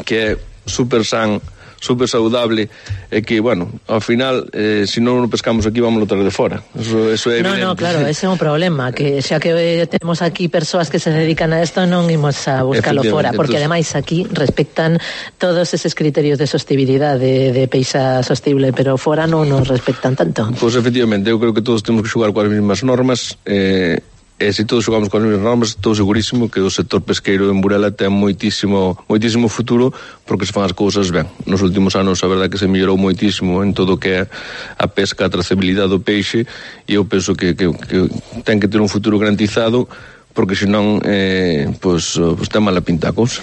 que é super san, super saudable e que, bueno, ao final eh, se non o pescamos aquí vamos a traer de fora, eso, eso é evidente. No, no, claro, ese é un problema que xa que eh, temos aquí persoas que se dedican a isto non imos a buscalo fora, porque entonces, ademais aquí respectan todos eses criterios de sostibilidade de, de peixa sostible, pero fora non nos respectan tanto. Pois pues, efectivamente, eu creo que todos temos que xogar coas mesmas normas eh, e se todos xogamos con as mesmas normas, estou segurísimo que o sector pesqueiro en Burela ten moitísimo moitísimo futuro porque se fan as cousas ben. Nos últimos anos a verdade que se mellorou moitísimo en todo o que é a pesca, a trazabilidade do peixe e eu penso que, que, que ten que ter un futuro garantizado porque senón eh, pues, pues ten mala pinta a cousa.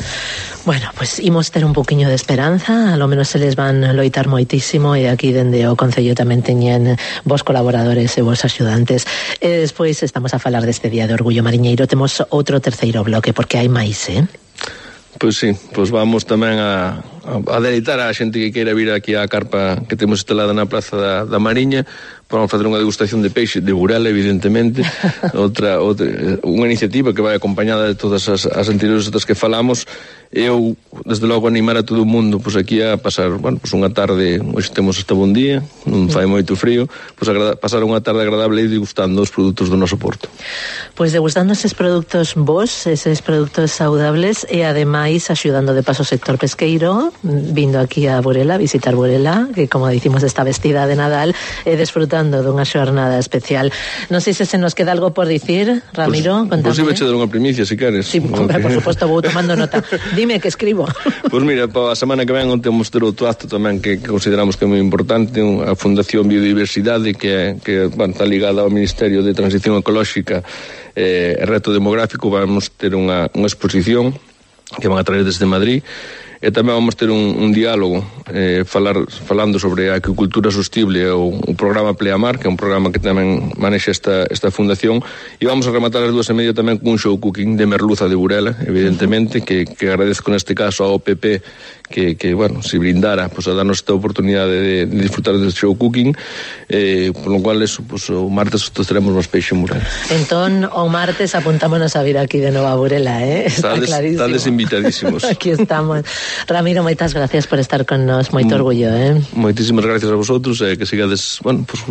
Bueno, pues imos ter un poquinho de esperanza, a lo menos se les van loitar moitísimo e aquí dende o Concello tamén teñen vos colaboradores e vos axudantes. E despois estamos a falar deste Día de Orgullo Mariñeiro, temos outro terceiro bloque porque hai máis, eh? Pois sí, pois vamos tamén a, a, a deleitar a xente que queira vir aquí á carpa que temos instalada na Praza da, da Mariña. Vamos facer unha degustación de peixe de Burela, evidentemente. outra, outra unha iniciativa que vai acompañada de todas as, as anteriores outras que falamos. Eu, desde logo, animar a todo o mundo pois aquí a pasar, bueno, pois unha tarde, hoxe temos esta bon día, non fai moito frío, pois agrada, pasar unha tarde agradable e degustando os produtos do noso porto. Pois degustando eses produtos vos, eses produtos saudables e ademais axudando de paso o sector pesqueiro, vindo aquí a Burela, a visitar Burela, que como dicimos está vestida de Nadal, e desfrutando dunha xornada especial. Non sei se se nos queda algo por dicir, Ramiro, pues, contame. Pois pues, iba a dar unha primicia, se queres. Sí, okay. Por suposto, vou tomando nota. Dime que escribo. Pois pues mira, para a semana que ven temos ter outro acto tamén que, que consideramos que é moi importante, a Fundación Biodiversidade, que, que bueno, está ligada ao Ministerio de Transición Ecolóxica e eh, Reto Demográfico. Vamos ter unha, unha exposición que van a traer desde Madrid e tamén vamos ter un, un diálogo eh, falar, falando sobre a agricultura sostible o, o programa Pleamar, que é un programa que tamén manexa esta, esta fundación, e vamos a rematar as dúas e media tamén con un show cooking de merluza de Burela, evidentemente, que, que agradezco neste caso ao O P P que, que bueno, se brindara pues, a darnos esta oportunidade de, de disfrutar do show cooking, eh, por lo cual eso, pues, o martes todos teremos máis peixe en Burela. Entón, o martes apuntámonos a vir aquí de novo a Burela, eh? Está Tades, clarísimo. Estades invitadísimos. Aquí estamos. Ramiro, moitas gracias por estar con nos, moito orgullo, eh? Moitísimas gracias a vosotros, eh, que sigades, bueno, pues,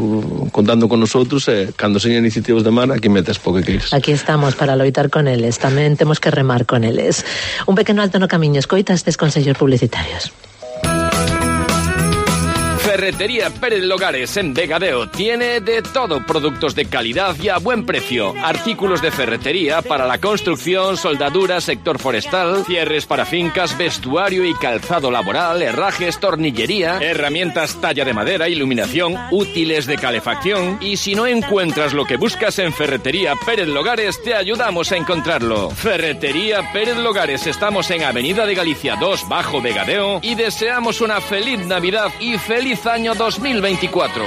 contando con nosotros, eh, cando señan iniciativas de mar, aquí metes po que queires. Aquí estamos para loitar con eles, tamén temos que remar con eles. Un pequeno alto no camiño, escoita estes consellos publicitarios. Ferretería Pérez Logares en Vegadeo tiene de todo, productos de calidad y a buen precio, artículos de ferretería para la construcción, soldadura, sector forestal, cierres para fincas, vestuario y calzado laboral, herrajes, tornillería, herramientas talla de madera, iluminación, útiles de calefacción. Y si no encuentras lo que buscas en Ferretería Pérez Logares, te ayudamos a encontrarlo. Ferretería Pérez Logares, estamos en Avenida de Galicia dos, Bajo Vegadeo, y deseamos una feliz Navidad y feliz año dos mil veinticuatro.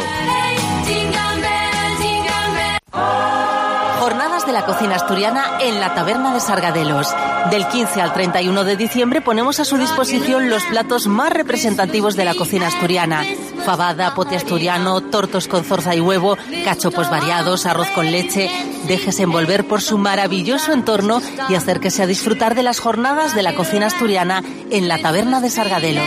Jornadas de la cocina asturiana en la Taberna de Sargadelos. Del quince al treinta y uno de diciembre ponemos a su disposición los platos más representativos de la cocina asturiana. Fabada, pote asturiano, tortos con zorza y huevo, cachopos variados, arroz con leche. Déjese envolver por su maravilloso entorno y acérquese a disfrutar de las jornadas de la cocina asturiana en la Taberna de Sargadelos.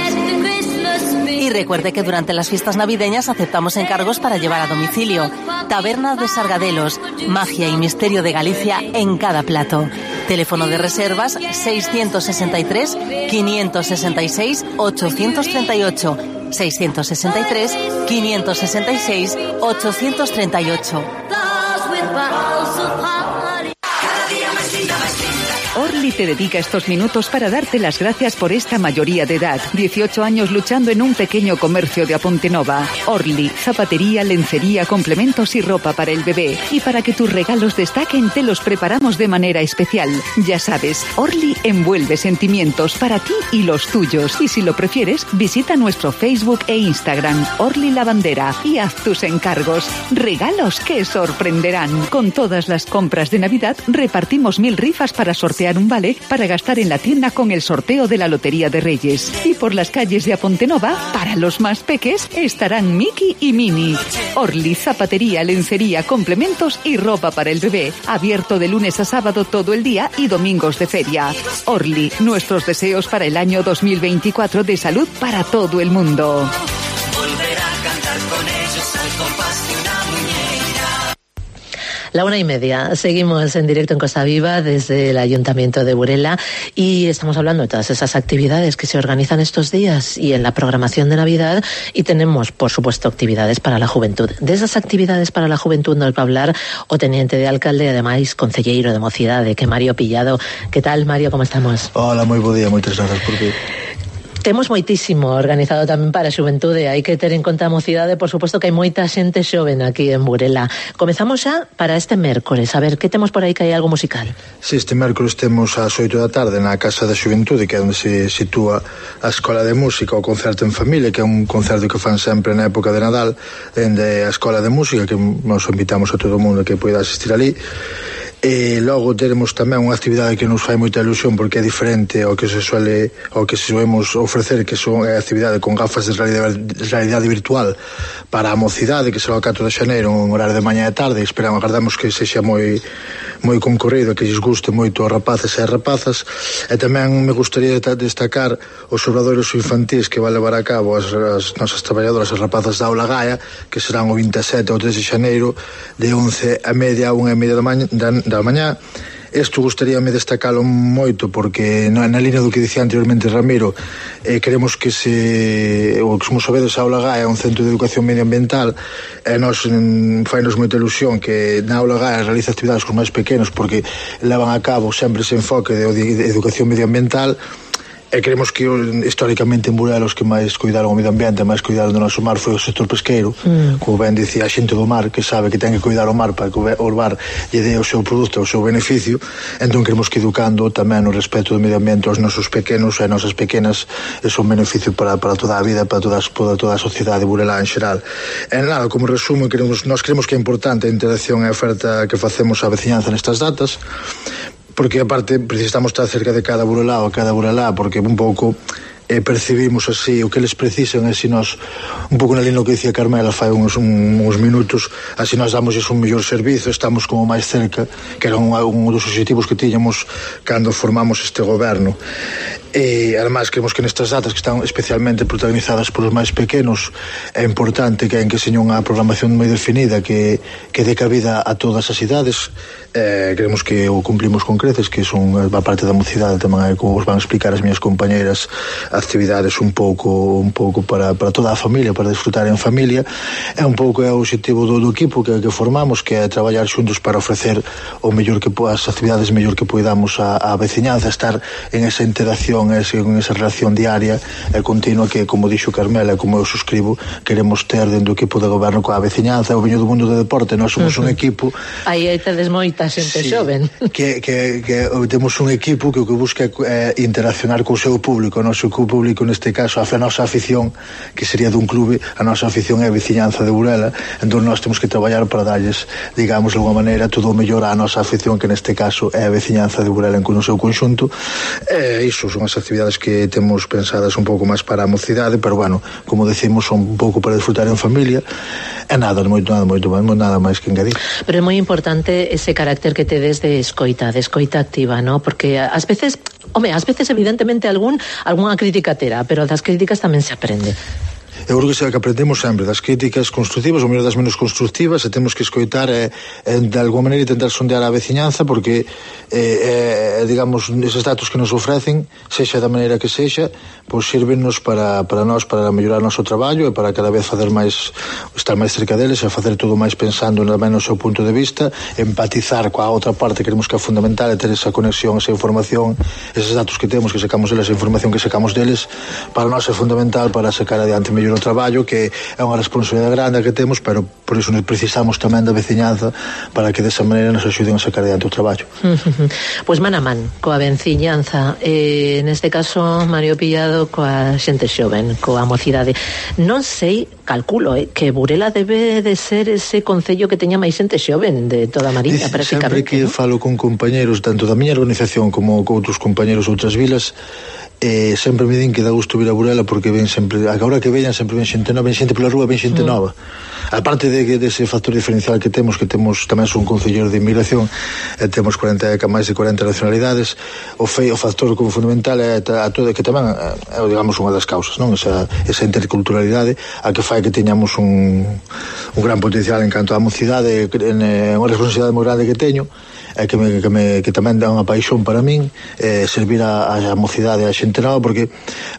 Y recuerde que durante las fiestas navideñas aceptamos encargos para llevar a domicilio. Taberna de Sargadelos, magia y misterio de Galicia en cada plato. Teléfono de reservas seiscientos sesenta y tres, quinientos sesenta y seis, ochocientos treinta y ocho. seiscientos sesenta y tres, quinientos sesenta y seis, ochocientos treinta y ocho. Orly te dedica estos minutos para darte las gracias por esta mayoría de edad. dieciocho años luchando en un pequeño comercio de Apontenova. Orly, zapatería, lencería, complementos y ropa para el bebé. Y para que tus regalos destaquen, te los preparamos de manera especial. Ya sabes, Orly envuelve sentimientos para ti y los tuyos. Y si lo prefieres, visita nuestro Facebook e Instagram, Orly Lavandera, y haz tus encargos. Regalos que sorprenderán. Con todas las compras de Navidad, repartimos mil rifas para sortear un vale para gastar en la tienda con el sorteo de la Lotería de Reyes. Y por las calles de Apontenova, para los más peques, estarán Mickey y Minnie. Orly, zapatería, lencería, complementos y ropa para el bebé. Abierto de lunes a sábado todo el día y domingos de feria. Orly, nuestros deseos para el año dos mil veinticuatro de salud para todo el mundo. Volver a cantar con ellos al compás de una muñeira. La una y media. Seguimos en directo en Costa Viva desde el Ayuntamiento de Burela y estamos hablando de todas esas actividades que se organizan estos días y en la programación de Navidad, y tenemos, por supuesto, actividades para la juventud. De esas actividades para la juventud nos va a hablar o teniente de alcalde, además concelleiro de Mocidade, que Mario Pillado. ¿Qué tal, Mario? ¿Cómo estamos? Hola, moi bo día, moitas grazas por vir. Temos moitísimo organizado tamén para a xuventude. Hai que ter en conta a mocidade, por suposto que hai moita xente xoven aquí en Burela. Comezamos xa para este mércores. A ver, que temos por aí, que hai algo musical? Si, este mércores temos ás oito da tarde na Casa da Xuventude, que é onde se sitúa a Escola de Música, o Concerto en Familia, que é un concerto que fan sempre na época de Nadal, dende a Escola de Música, que nos invitamos a todo o mundo que poida asistir ali. E logo teremos tamén unha actividade que nos fai moita ilusión porque é diferente ao que se suele ao que se solemos ofrecer, que son a actividade con gafas de realidade, realidade virtual para a mocidade, que será o catro de xaneiro en horario de mañá e tarde. Esperamos, agardamos que sexa moi moi concorrido, que lles guste moito aos rapaces e as rapazas. E tamén me gustaría destacar os obradoiros infantís que vai levar a cabo as, as nosas traballadoras, as rapazas da Aula Gaia, que serán o vinte e sete ao tres de xaneiro de once a media a unha e media da mañá, da, da mañá. Isto gustaríame destacalo moito porque na, na línea do que dicía anteriormente Ramiro, eh, queremos que se o que como sabedes, a Aula Gaia é un centro de educación medioambiental e nos mm, fainos moita ilusión que na Aula Gaia realiza actividades con máis pequenos porque levan a cabo sempre ese enfoque de, de educación medioambiental. E creemos que históricamente en Burela os que máis cuidaron o medio ambiente, máis cuidaron do noso mar foi o sector pesqueiro, mm. como ben dicía a xente do mar, que sabe que ten que cuidar o mar para que o mar lle dé o seu produto, o seu beneficio. Entón queremos que educando tamén o respeto do medio ambiente aos nosos pequenos e nosas pequenas é un beneficio para, para toda a vida, para toda, para toda a sociedade burelá en xeral. E nada, como resumo, queremos, nós creemos que é importante a interacción e a oferta que facemos á veciñanza nestas datas, porque aparte precisamos estar cerca de cada burelá ou cada burelá, porque un pouco eh, percibimos así o que eles precisan, e se nós, un pouco na línea que dicía Carmela fai uns, un, uns minutos, así nós damos un mellor servizo, estamos como máis cerca, que era un, un dos objetivos que tiñamos cando formamos este goberno. E además creemos que nestas datas que están especialmente protagonizadas polos máis pequenos é importante que en que seña unha programación moi definida que, que dé cabida a todas as idades. Eh, creemos que o cumplimos con creces, que son a parte da mocidade tamén, é como os van explicar as miñas compañeras, actividades un pouco un pouco para, para toda a familia, para disfrutar en familia. É un pouco é o objetivo do, do equipo que, que formamos, que é traballar xuntos para ofrecer o mellor que as actividades mellor que poidamos á, á veciñanza, estar en esa interacción, ese, en esa relación diaria e continua que, como dixo Carmela, como eu suscribo, queremos ter dentro do equipo de goberno coa veciñanza. O veño do mundo do deporte, nós somos uh-huh. un equipo aí hai tedes moita xente sí, xoven que, que, que temos un equipo que o que busca é interaccionar co seu público. O noso público neste caso, a nosa afición, que sería dun clube, a nosa afición é a veciñanza de Burela, entón nós temos que traballar para darlles, digamos, de alguma maneira todo o mellor á nosa afición, que neste caso é a veciñanza de Burela en no seu conxunto. E iso son as actividades que temos pensadas un pouco máis para a mocidade, pero bueno, como decimos, son un pouco para disfrutar en familia e nada, moito, nada, moito, nada máis que engadir. Pero é moi importante ese carácter que tedes de escoita, de escoita activa, ¿no? Porque ás veces, home, ás veces evidentemente algún algunha crítica terá, pero das críticas tamén se aprende. Eu creo que se que aprendemos sempre das críticas constructivas ou mellor das menos constructivas, e temos que escoitar e, e de alguma maneira intentar sondear a veciñanza, porque eh, eh, digamos, eses datos que nos ofrecen, sexa da maneira que sexa, pois sirvennos para, para nós, para mellorar o noso traballo e para cada vez fazer máis, estar máis cerca deles e facer todo máis pensando no menos o seu punto de vista, empatizar coa outra parte que queremos que é fundamental, e ter esa conexión, esa información, eses datos que temos, que sacamos deles, esa información que sacamos deles, para nós é fundamental para sacar adiante mellor o traballo, que é unha responsabilidade grande que temos, pero por iso precisamos tamén da veciñanza para que desa maneira nos axuden a sacar adiante o traballo. Pois man a man coa veciñanza, eh, neste caso Mario Pillado coa xente xoven, coa mocidade. Non sei, calculo, eh, que Burela debe de ser ese concello que teña máis xente xoven de toda a Mariña, eh, prácticamente. Sempre que ¿no? falo con compañeros tanto da miña organización como con outros compañeros de outras vilas, eh, sempre me din que dá gusto vir a Burela, porque ven sempre, agora que veñan sempre ven xente nova, ven xente pola rúa, ven xente mm. nova. Aparte de que dese factor diferencial que temos, que temos tamén son concelleiro de inmigración, e temos cuarenta, máis de cuarenta nacionalidades, o fei, o factor como fundamental é a, a todo, que tamén é, digamos, unha das causas, non? Esa, esa interculturalidade a que fai que teñamos un, un gran potencial en canto á mocidade, en, en unha responsabilidade moi grande que teño, é que, me, que, me, que tamén dá unha paixón para min, eh, servir a, a mocidade a xente nova, porque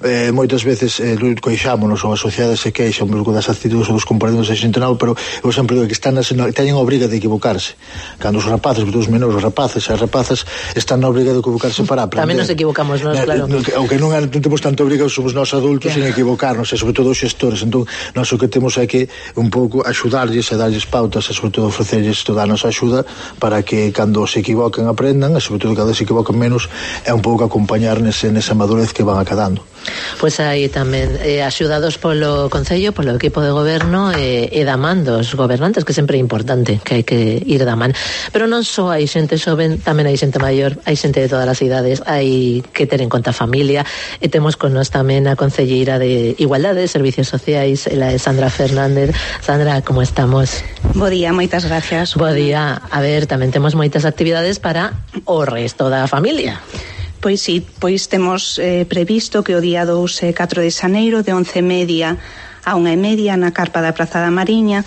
eh, moitas veces eh, coixámonos ou a sociedade se queixa un pouco das actitudes ou dos comportamentos da xente nova, pero eu sempre digo que están nas, teñen a obriga de equivocarse. Cando os rapaces, os menores, os rapaces e as rapazas están na obriga de equivocarse para aprender. Tamén nos equivocamos nós, claro. O que non, non temos tanto obriga, somos nós adultos en equivocarnos, e sobre todo os xestores. Entón, nós o que temos é que un pouco axudarlles e darlles pautas, e sobre todo ofrecerlles toda a nosa axuda para que cando se equivoquen aprendan, e sobre todo cada vez se equivoquen menos, é un pouco acompañar nese, nesa madurez que van acadando. Pois pues aí tamén eh, axudados polo Concello, polo equipo de goberno e, e da man dos gobernantes, que sempre é importante que hai que ir da man. Pero non só hai xente xoven, tamén hai xente maior, hai xente de todas as idades, hai que ter en conta a familia, e temos con nós tamén a concelleira de Igualdade, Servicios Sociais, ela é Sandra Fernández. Sandra, como estamos? Bo día, moitas gracias. Bo día. A ver, tamén temos moitas actividades para o resto da familia. Pois sí, pois temos eh, previsto que o día dous e catro de xaneiro de once e media a unha e media na carpa da Praza da Mariña,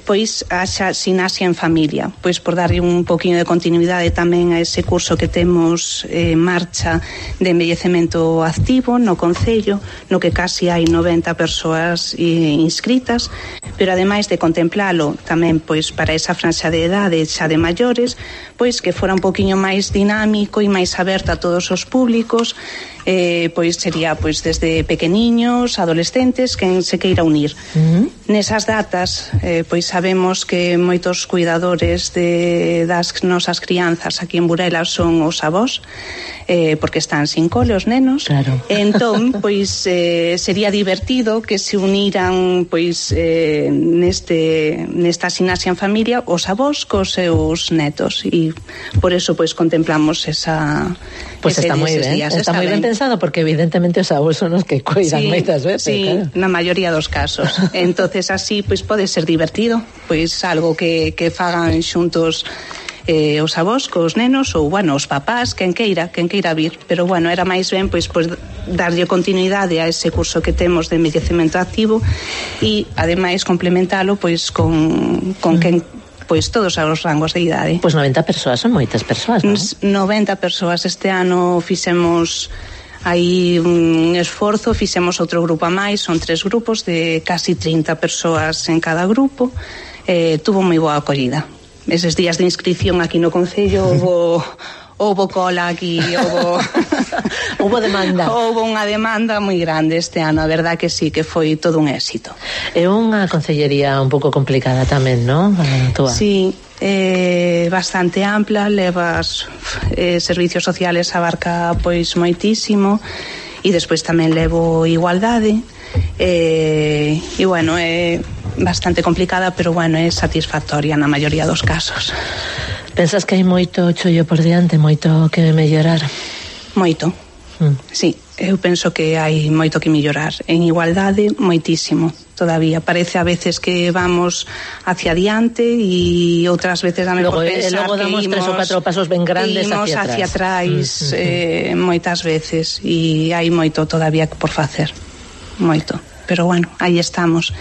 pois haxa Sinasia en Familia, pois por darlle un poquinho de continuidade tamén a ese curso que temos en eh, marcha de envellecemento activo no Concello, no que casi hai noventa persoas eh, inscritas, pero ademais de contemplalo tamén pois para esa franxa de edade xa de maiores, pois que fora un poquinho máis dinámico e máis aberto a todos os públicos, eh, pois sería pois desde pequeniños, adolescentes, quen se queira unir. Uh-huh. Nesas datas, eh, pois sabemos que moitos cuidadores de, das nosas crianzas aquí en Burela son os avós, eh, porque están sin cole os nenos. Claro. Entón, pois eh, sería divertido que se uniran pois eh, neste nesta Sinasia en Familia os avós cos seus netos, e por eso pois contemplamos esa Pois pues está moi ben, días. Está, está moi ben pensado, porque evidentemente os avós son os que cuidan sí, moitas veces. Sí, claro. Na maioría dos casos. Entonces así pois pode ser divertido, pois algo que, que fagan xuntos eh, os avós cos nenos, ou bueno, os papás, quen queira, quen queira vir, pero bueno, era máis ben pois, pois darlle continuidade a ese curso que temos de envellecemento activo, e ademais complementalo pois con, con mm. quen pois todos os rangos de idade. Pois noventa persoas, son moitas persoas, non? noventa persoas. Este ano fixemos aí un esforzo, fixemos outro grupo a máis, son tres grupos de casi trinta persoas en cada grupo. Eh, tuvo moi boa acollida. Eses días de inscripción aquí no Concello houbo houbo cola aquí, houbo houbo demanda. Houbo unha demanda moi grande este ano, a verdad que sí, que foi todo un éxito. É unha concellería un pouco complicada tamén, non? Sí, eh, bastante ampla, levas eh, servicios sociales, abarca pois moitísimo, e despois tamén levo igualdade, eh, e bueno, é bastante complicada, pero bueno, é satisfactoria na maioría dos casos. Pensas que hai moito chollo por diante, moito que mellorar? Moito, mm. sí, eu penso que hai moito que mellorar. En igualdade, moitísimo todavía. Parece a veces que vamos hacia adiante, e outras veces a mellor pensar logo damos que imos, tres ou catro pasos ben grandes imos hacia, hacia atrás, mm-hmm. eh, moitas veces, e hai moito todavía por facer, moito. pero bueno, aí estamos.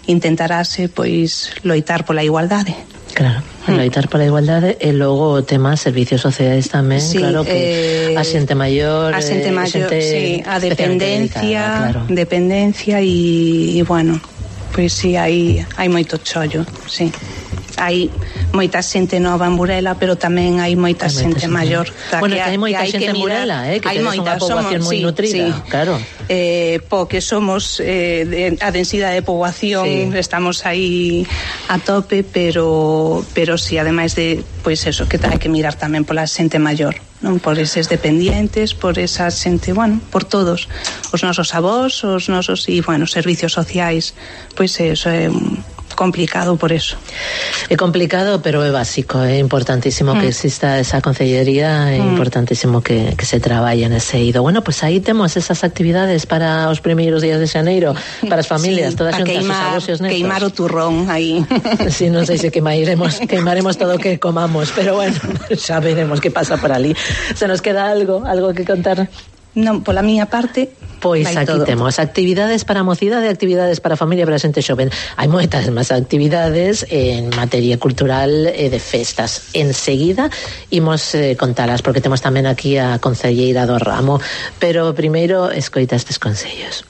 Intentarase, pois, loitar pola igualdade. Claro, loitar pola igualdade e logo o tema servicios sociais tamén, sí, claro, que eh, a xente maior, a xente maior, xente sí, a dependencia, dedicada, claro. dependencia e, e bueno, pois sí, hai hai moito chollo, sí. Hai moita xente nova en Burela, pero tamén hai moita hai xente maior. Bueno, que hai moita xente en Burela, eh, que tedes unha poboación moi nutrida, sí, claro. Eh, po que somos eh, de, a densidade de poboación, sí, estamos aí a tope, pero pero si, sí, ademais de, pois eso, que hai que mirar tamén pola xente maior, non, por eses dependientes, por esa xente, bueno, por todos, os nosos avós, os nosos, e, bueno, servicios sociais, pois eso é complicado por eso. É complicado, pero é básico, é importantísimo mm. que exista esa concellería, é mm. importantísimo que, que se traballe nese eido. Bueno, pues aí temos esas actividades para os primeiros días de xaneiro, para as familias, sí, todas xuntas, os avós e os netos. Queimar o turrón aí. Sí, non sei se queimaremos, queimaremos todo o que comamos, pero bueno, xa veremos que pasa por ali. Se nos queda algo, algo que contar? Non, pola miña parte, pois aquí todo. Temos actividades para a mocidade, actividades para a familia, para a xente xoven. Hai moitas máis actividades en materia cultural e de festas. Enseguida imos eh, contalas, porque temos tamén aquí a concelleira do ramo, pero primeiro escoita estes consellos.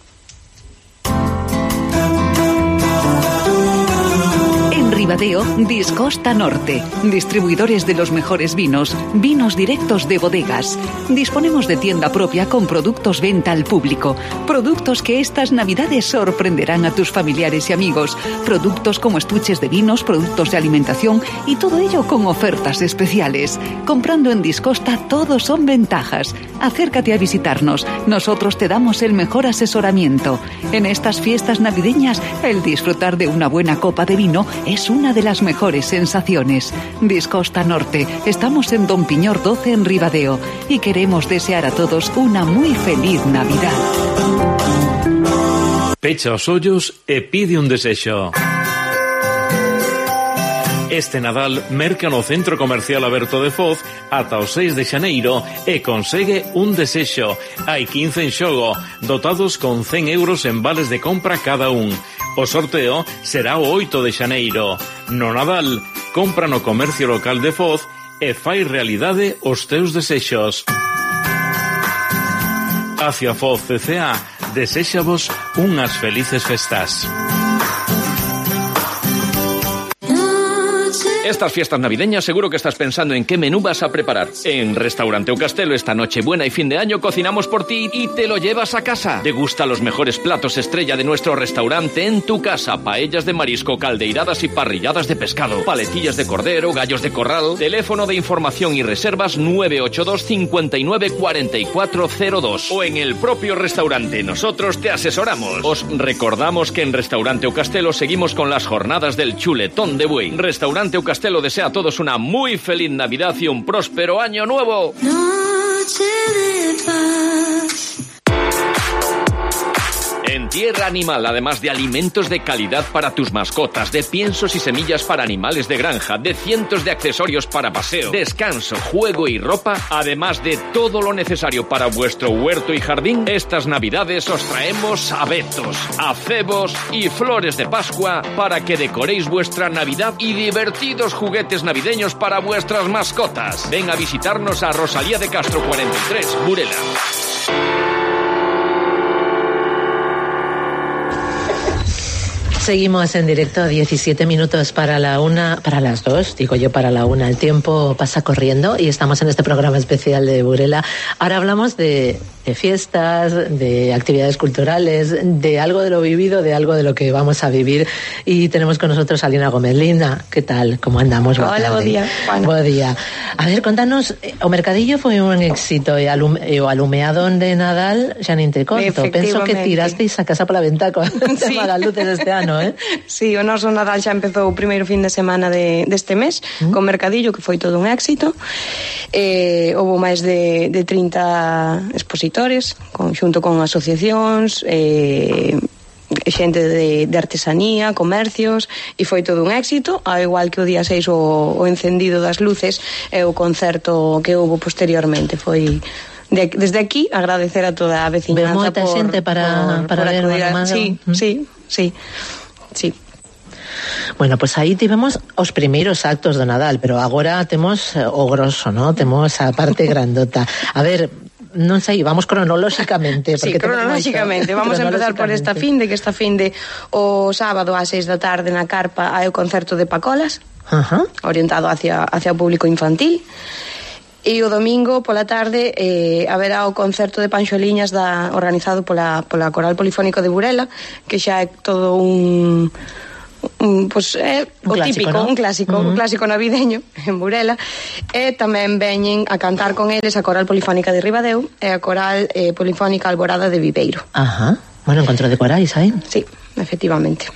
Ribadeo, Discosta Norte. Distribuidores de los mejores vinos, vinos directos de bodegas. Disponemos de tienda propia con productos venta al público. Productos que estas navidades sorprenderán a tus familiares y amigos. Productos como estuches de vinos, productos de alimentación y todo ello con ofertas especiales. Comprando en Discosta todo son ventajas. Acércate a visitarnos. Nosotros te damos el mejor asesoramiento. En estas fiestas navideñas, el disfrutar de una buena copa de vino es una de las mejores sensaciones. Discosta Norte. Estamos en Don Piñor doce en Ribadeo y queremos desear a todos una muy feliz Navidad. Pecha os ollos e pide un desexo. Este Nadal merca no Centro Comercial Aberto de Foz ata o seis de xaneiro e consegue un desexo. Hai quince en xogo, dotados con cen euros en vales de compra cada un. O sorteo será o oito de xaneiro. No Nadal, compra no comercio local de Foz e fai realidade os teus desexos. Hacia Foz C C A, deséxavos unhas felices festas. Estas fiestas navideñas seguro que estás pensando en qué menú vas a preparar. En Restaurante O Castelo esta Nochebuena y fin de año cocinamos por ti y te lo llevas a casa. Degusta los mejores platos estrella de nuestro restaurante en tu casa. Paellas de marisco, caldeiradas y parrilladas de pescado. Paletillas de cordero, gallos de corral. Teléfono de información y reservas nueve ocho dos, cinco nueve, cuatro cuatro cero dos. O en el propio restaurante. Nosotros te asesoramos. Os recordamos que en Restaurante O Castelo seguimos con las jornadas del chuletón de buey. Restaurante O Castelo desea a todos una muy feliz Navidad y un próspero año nuevo. Noche de paz. En Tierra Animal, además de alimentos de calidad para tus mascotas, de piensos y semillas para animales de granja, de cientos de accesorios para paseo, descanso, juego y ropa, además de todo lo necesario para vuestro huerto y jardín, estas Navidades os traemos abetos, acebos y flores de Pascua para que decoréis vuestra Navidad y divertidos juguetes navideños para vuestras mascotas. Ven a visitarnos a Rosalía de Castro cuarenta y tres, Burela. Seguimos en directo, diecisiete minutos para la una, para las dos, digo yo para la una. El tiempo pasa corriendo y estamos en este programa especial de Burela. Ahora hablamos de, de fiestas, de actividades culturales, de algo de lo vivido, de algo de lo que vamos a vivir. Y tenemos con nosotros a Lina Gómez. Lina, ¿qué tal? ¿Cómo andamos? Hola, buen día. Bueno. Buen día. A ver, contanos, o mercadillo foi un éxito e, alum, e o alumeado de Nadal xa nin te conto. Penso que tirasteis a casa pola ventá con sí. As luces este ano. ¿Eh? Sí, o noso Nadal xa empezou o primeiro fin de semana de, deste mes, mm. con mercadillo, que foi todo un éxito. Eh, houve máis de, de trinta expositores, con, xunto con asociacións, eh, xente de, de artesanía, comercios, e foi todo un éxito, ao igual que o día seis o, o encendido das luces e o concerto que houve posteriormente. Foi de, desde aquí agradecer a toda a veciñanza. Ve moita por, xente para, por, para por ver o acudir a- Anomado. Sí, Mm. sí, sí, sí. Bueno, pues aí tivemos os primeiros actos do Nadal, pero agora temos eh, o grosso, ¿no? Temos a parte grandota. A ver, non sei, vamos cronolóxicamente. Sí, porque temos cronolóxicamente. moito. Vamos a empezar por esta finde, que esta finde o sábado ás seis da tarde na Carpa hai o concerto de Pacolas, Ajá. orientado hacia, hacia o público infantil. E o domingo pola tarde eh, haberá o concerto de Panxoliñas da, organizado pola, pola Coral Polifónico de Burela, que xa é todo un... un pues, é Un o clásico, típico, ¿no? un clásico, Uh-huh. un clásico navideño en Burela. E tamén veñen a cantar con eles a Coral Polifónica de Ribadeo e a Coral eh, Polifónica Alborada de Viveiro. Ajá. Bueno, encontro de corais aí. Sí, efectivamente.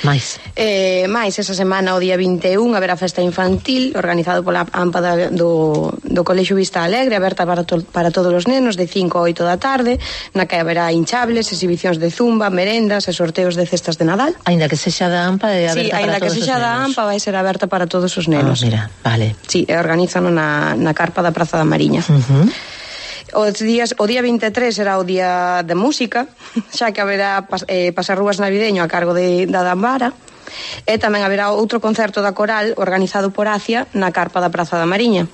Mais. Eh, máis esa semana, o día vinte e un, haberá festa infantil organizado pola AMPA da, do, do Colexio Vista Alegre, aberta para, to, para todos os nenos de cinco a oito da tarde, na que haberá hinchables, exhibicións de zumba, merendas e sorteos de cestas de Nadal. Aínda que sexa da AMPA é aberta Sí, para aínda que todos os sexa da nenos. AMPA vai ser aberta para todos os nenos. Ah, mira, vale. Sí, e organizan na, na Carpa da Praza da Mariña. Uh-huh. Os días, o día vinte e tres será o día de música, xa que haberá pas, eh, pasarrúas navideño a cargo de, da Dambara, e tamén haberá outro concerto da coral organizado por Acia na Carpa da Praza da Mariña.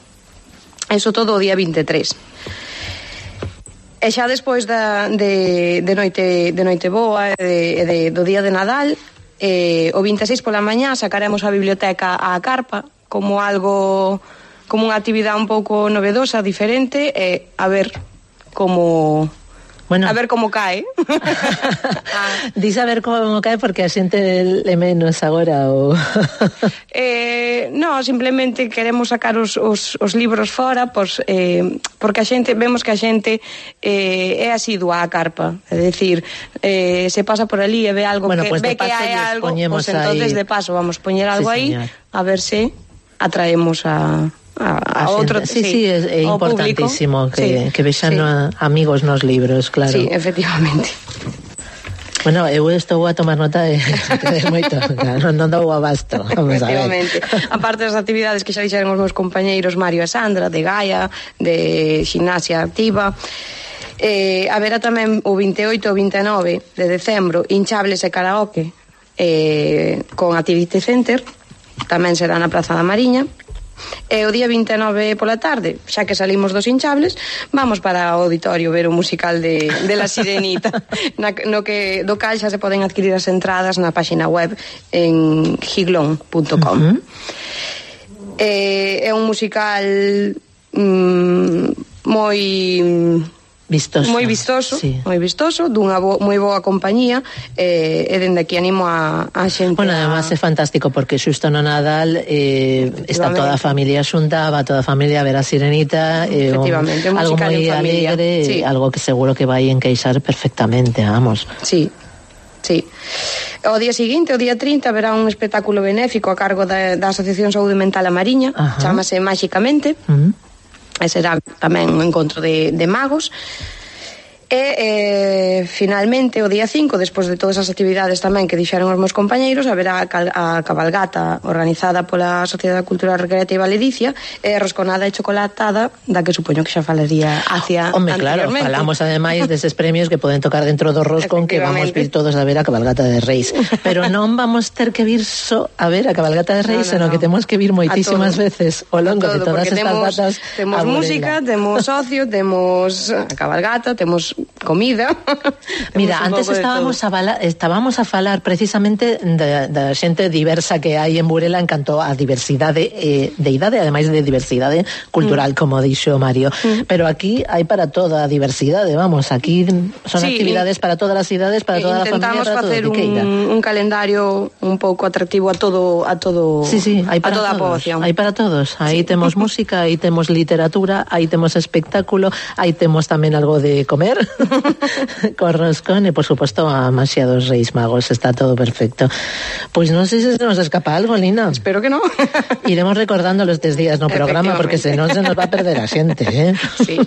Eso todo o día vinte e tres. E xa despois da, de, de, noite, de noite boa e de, de, do día de Nadal, eh, o vinte e seis pola mañá sacaremos a biblioteca á Carpa como algo, como unha actividade un pouco novedosa, diferente, e a ver como... Bueno. A ver como cae. Dis a ver como cae porque a xente le menos agora o... eh, no, simplemente queremos sacar os, os, os libros fora, pois, eh, porque a xente, vemos que a xente eh, é asidua á Carpa, é dicir, eh, se pasa por ali e ve algo, Bueno, que pues de ve que paso hai lles algo, poñemos pues entonces aí- de paso vamos poñer algo Sí, aí, señor. a ver se atraemos a a, a A outro, xente. Sí, sí, é, é ao importantísimo público. que, Sí, que vexan sí. a, amigos nos libros, claro. Sí, efectivamente. Bueno, eu estou a tomar nota de, de moito, claro, non dou abasto. Vamos a ver. Efectivamente. Aparte das actividades que xa dixeron os meus compañeiros Mario e Sandra, de Gaia, de Gimnasia Activa, eh, haberá tamén o vinte e oito e vinte e nove de decembro hinchables e karaoke eh, con Activity Center, tamén será na Praza da Mariña. E o día vinte e nove pola tarde, xa que salimos dos hinchables, vamos para o auditorio ver o musical de, de La Sirenita, na, no que do cal xa se poden adquirir as entradas na páxina web en giglón punto com. Uh-huh. eh, é un musical mm, moi vistoso, moi vistoso, sí. moi vistoso, dunha bo, moi boa compañía, eh, e dende aquí animo a, a xente. Bueno, a... además é fantástico porque xusto no Nadal eh, está toda a familia xunta, va toda a familia a ver a Sirenita, eh, Efectivamente, un, algo musical moi en familia. alegre, Sí. algo que seguro que vai encaixar perfectamente, vamos. Sí, sí. O día seguinte, o día trinta, haberá un espectáculo benéfico a cargo da, da Asociación Saúde Mental A Mariña, Ajá. chámase Máxicamente, Uh-huh. e será tamén un encontro de, de magos. E eh, finalmente o día cinco, despois de todas as actividades tamén que dixeron os meus compañeiros, haberá a, cal, a cabalgata organizada pola Sociedade Cultural Recreativa Ledicia e rosconada e chocolatada, da que supoño que xa falaría hacia Hombre, claro, anteriormente. falamos ademais deses premios que poden tocar dentro do roscón, que vamos vir todos a ver a cabalgata de Reis, pero non vamos ter que vir só a ver a cabalgata de Reis, No, no, senón no. que temos que vir moitísimas todo. veces ao longo de Todo, todas porque estas temos, datas temos a Burela. música, temos ocio, temos a cabalgata, temos comida. Mira, antes estábamos a, bala, estábamos a falar precisamente da, da xente diversa que hai en Burela en canto a diversidade eh, de idade, ademais de diversidade cultural, mm. como dixo Mario, mm. pero aquí hai para toda a diversidade, vamos, aquí son Sí, actividades para todas as idades, para toda a familia, intentamos para todo facer o que queira. un, un calendario un pouco atractivo a todo a todo Sí, sí, hai a para toda a todos, poboación. hai para todos. Aí Sí. temos música, aí temos literatura, aí temos espectáculo, aí temos tamén algo de comer. con roscón y por supuesto demasiados Reyes Magos, está todo perfecto. Pues no sé si se nos escapa algo, Lina. Espero que no. Iremos recordando los tres días no programa porque si no se nos va a perder a xente, eh? Sí.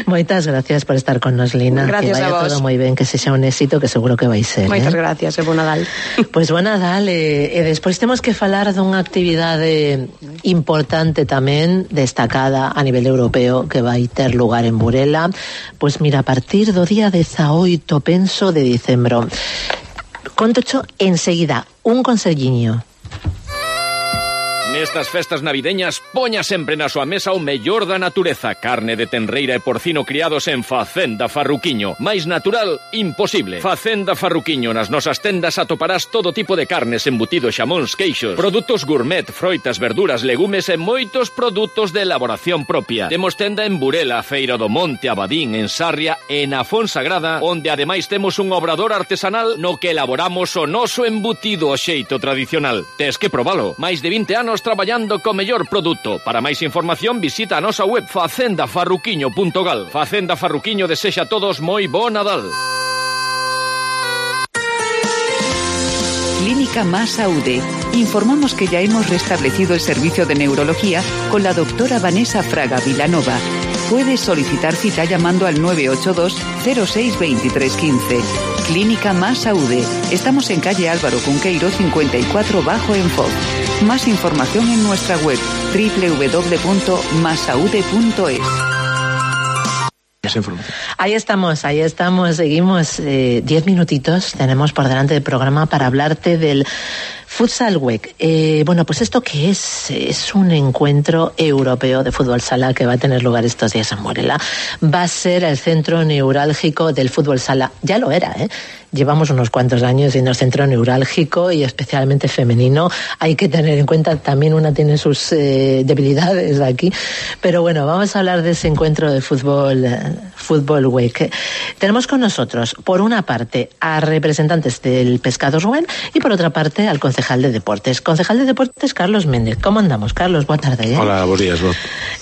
Moitas gracias por estar con nos, Lina. Gracias que vaya a vos. todo moi ben, que sexa un éxito que seguro que vai ser. Moitas eh? gracias, e bo Nadal. Pois bo Nadal, e, e despois temos que falar dunha actividade importante tamén, destacada a nivel europeo, que vai ter lugar en Burela. Pois mira, a partir do día dezaoito, penso, de dicembro. Contocho enseguida un conselliño. Nestas festas navideñas, poña sempre na súa mesa o mellor da natureza. Carne de tenreira e porcino criados en Facenda Farruquiño. Mais natural, imposible. Facenda Farruquiño. Nas nosas tendas atoparás todo tipo de carnes, embutidos, xamóns, queixos, produtos gourmet, froitas, verduras, legumes e moitos produtos de elaboración propia. Temos tenda en Burela, Feira do Monte, Abadín, en Sarria e na Fonsagrada, onde ademais temos un obrador artesanal no que elaboramos o noso embutido ao xeito tradicional. Tes que probalo. Mais de vinte anos traballando co mellor produto. Para máis información visita a nosa web facenda farruquiño punto gal. Facenda Farruquiño desexa a todos moi bo Nadal. Clínica Más Saúde. Informamos que ya hemos restablecido el servicio de neurología con la doctora Vanessa Fraga Vilanova. Puedes solicitar cita llamando al nueve ocho dos cero seis dos tres uno cinco. Clínica Más Saúde. Estamos en calle Álvaro Cunqueiro cincuenta y cuatro Bajo en Foz. Más información en nuestra web doble u doble u doble u punto más saude punto es. Ahí estamos, ahí estamos, seguimos eh, diez minutitos, tenemos por delante del programa para hablarte del Futsal Week. Eh, bueno, pues esto que es, es un encuentro europeo de fútbol sala que va a tener lugar estos días en Burela. Va a ser el centro neurálgico del fútbol sala. Ya lo era, ¿eh? Llevamos unos cuantos años siendo el centro neurálgico y especialmente femenino. Hay que tener en cuenta también una tiene sus eh, debilidades aquí. Pero bueno, vamos a hablar de ese encuentro de fútbol, eh, Fútbol Week. Tenemos con nosotros, por una parte, a representantes del Pescado Rubén y por otra parte al concejal de Deportes. Concejal de Deportes, Carlos Méndez. ¿Cómo andamos, Carlos? Boa tarde. Eh? Hola, buenos días, Bob.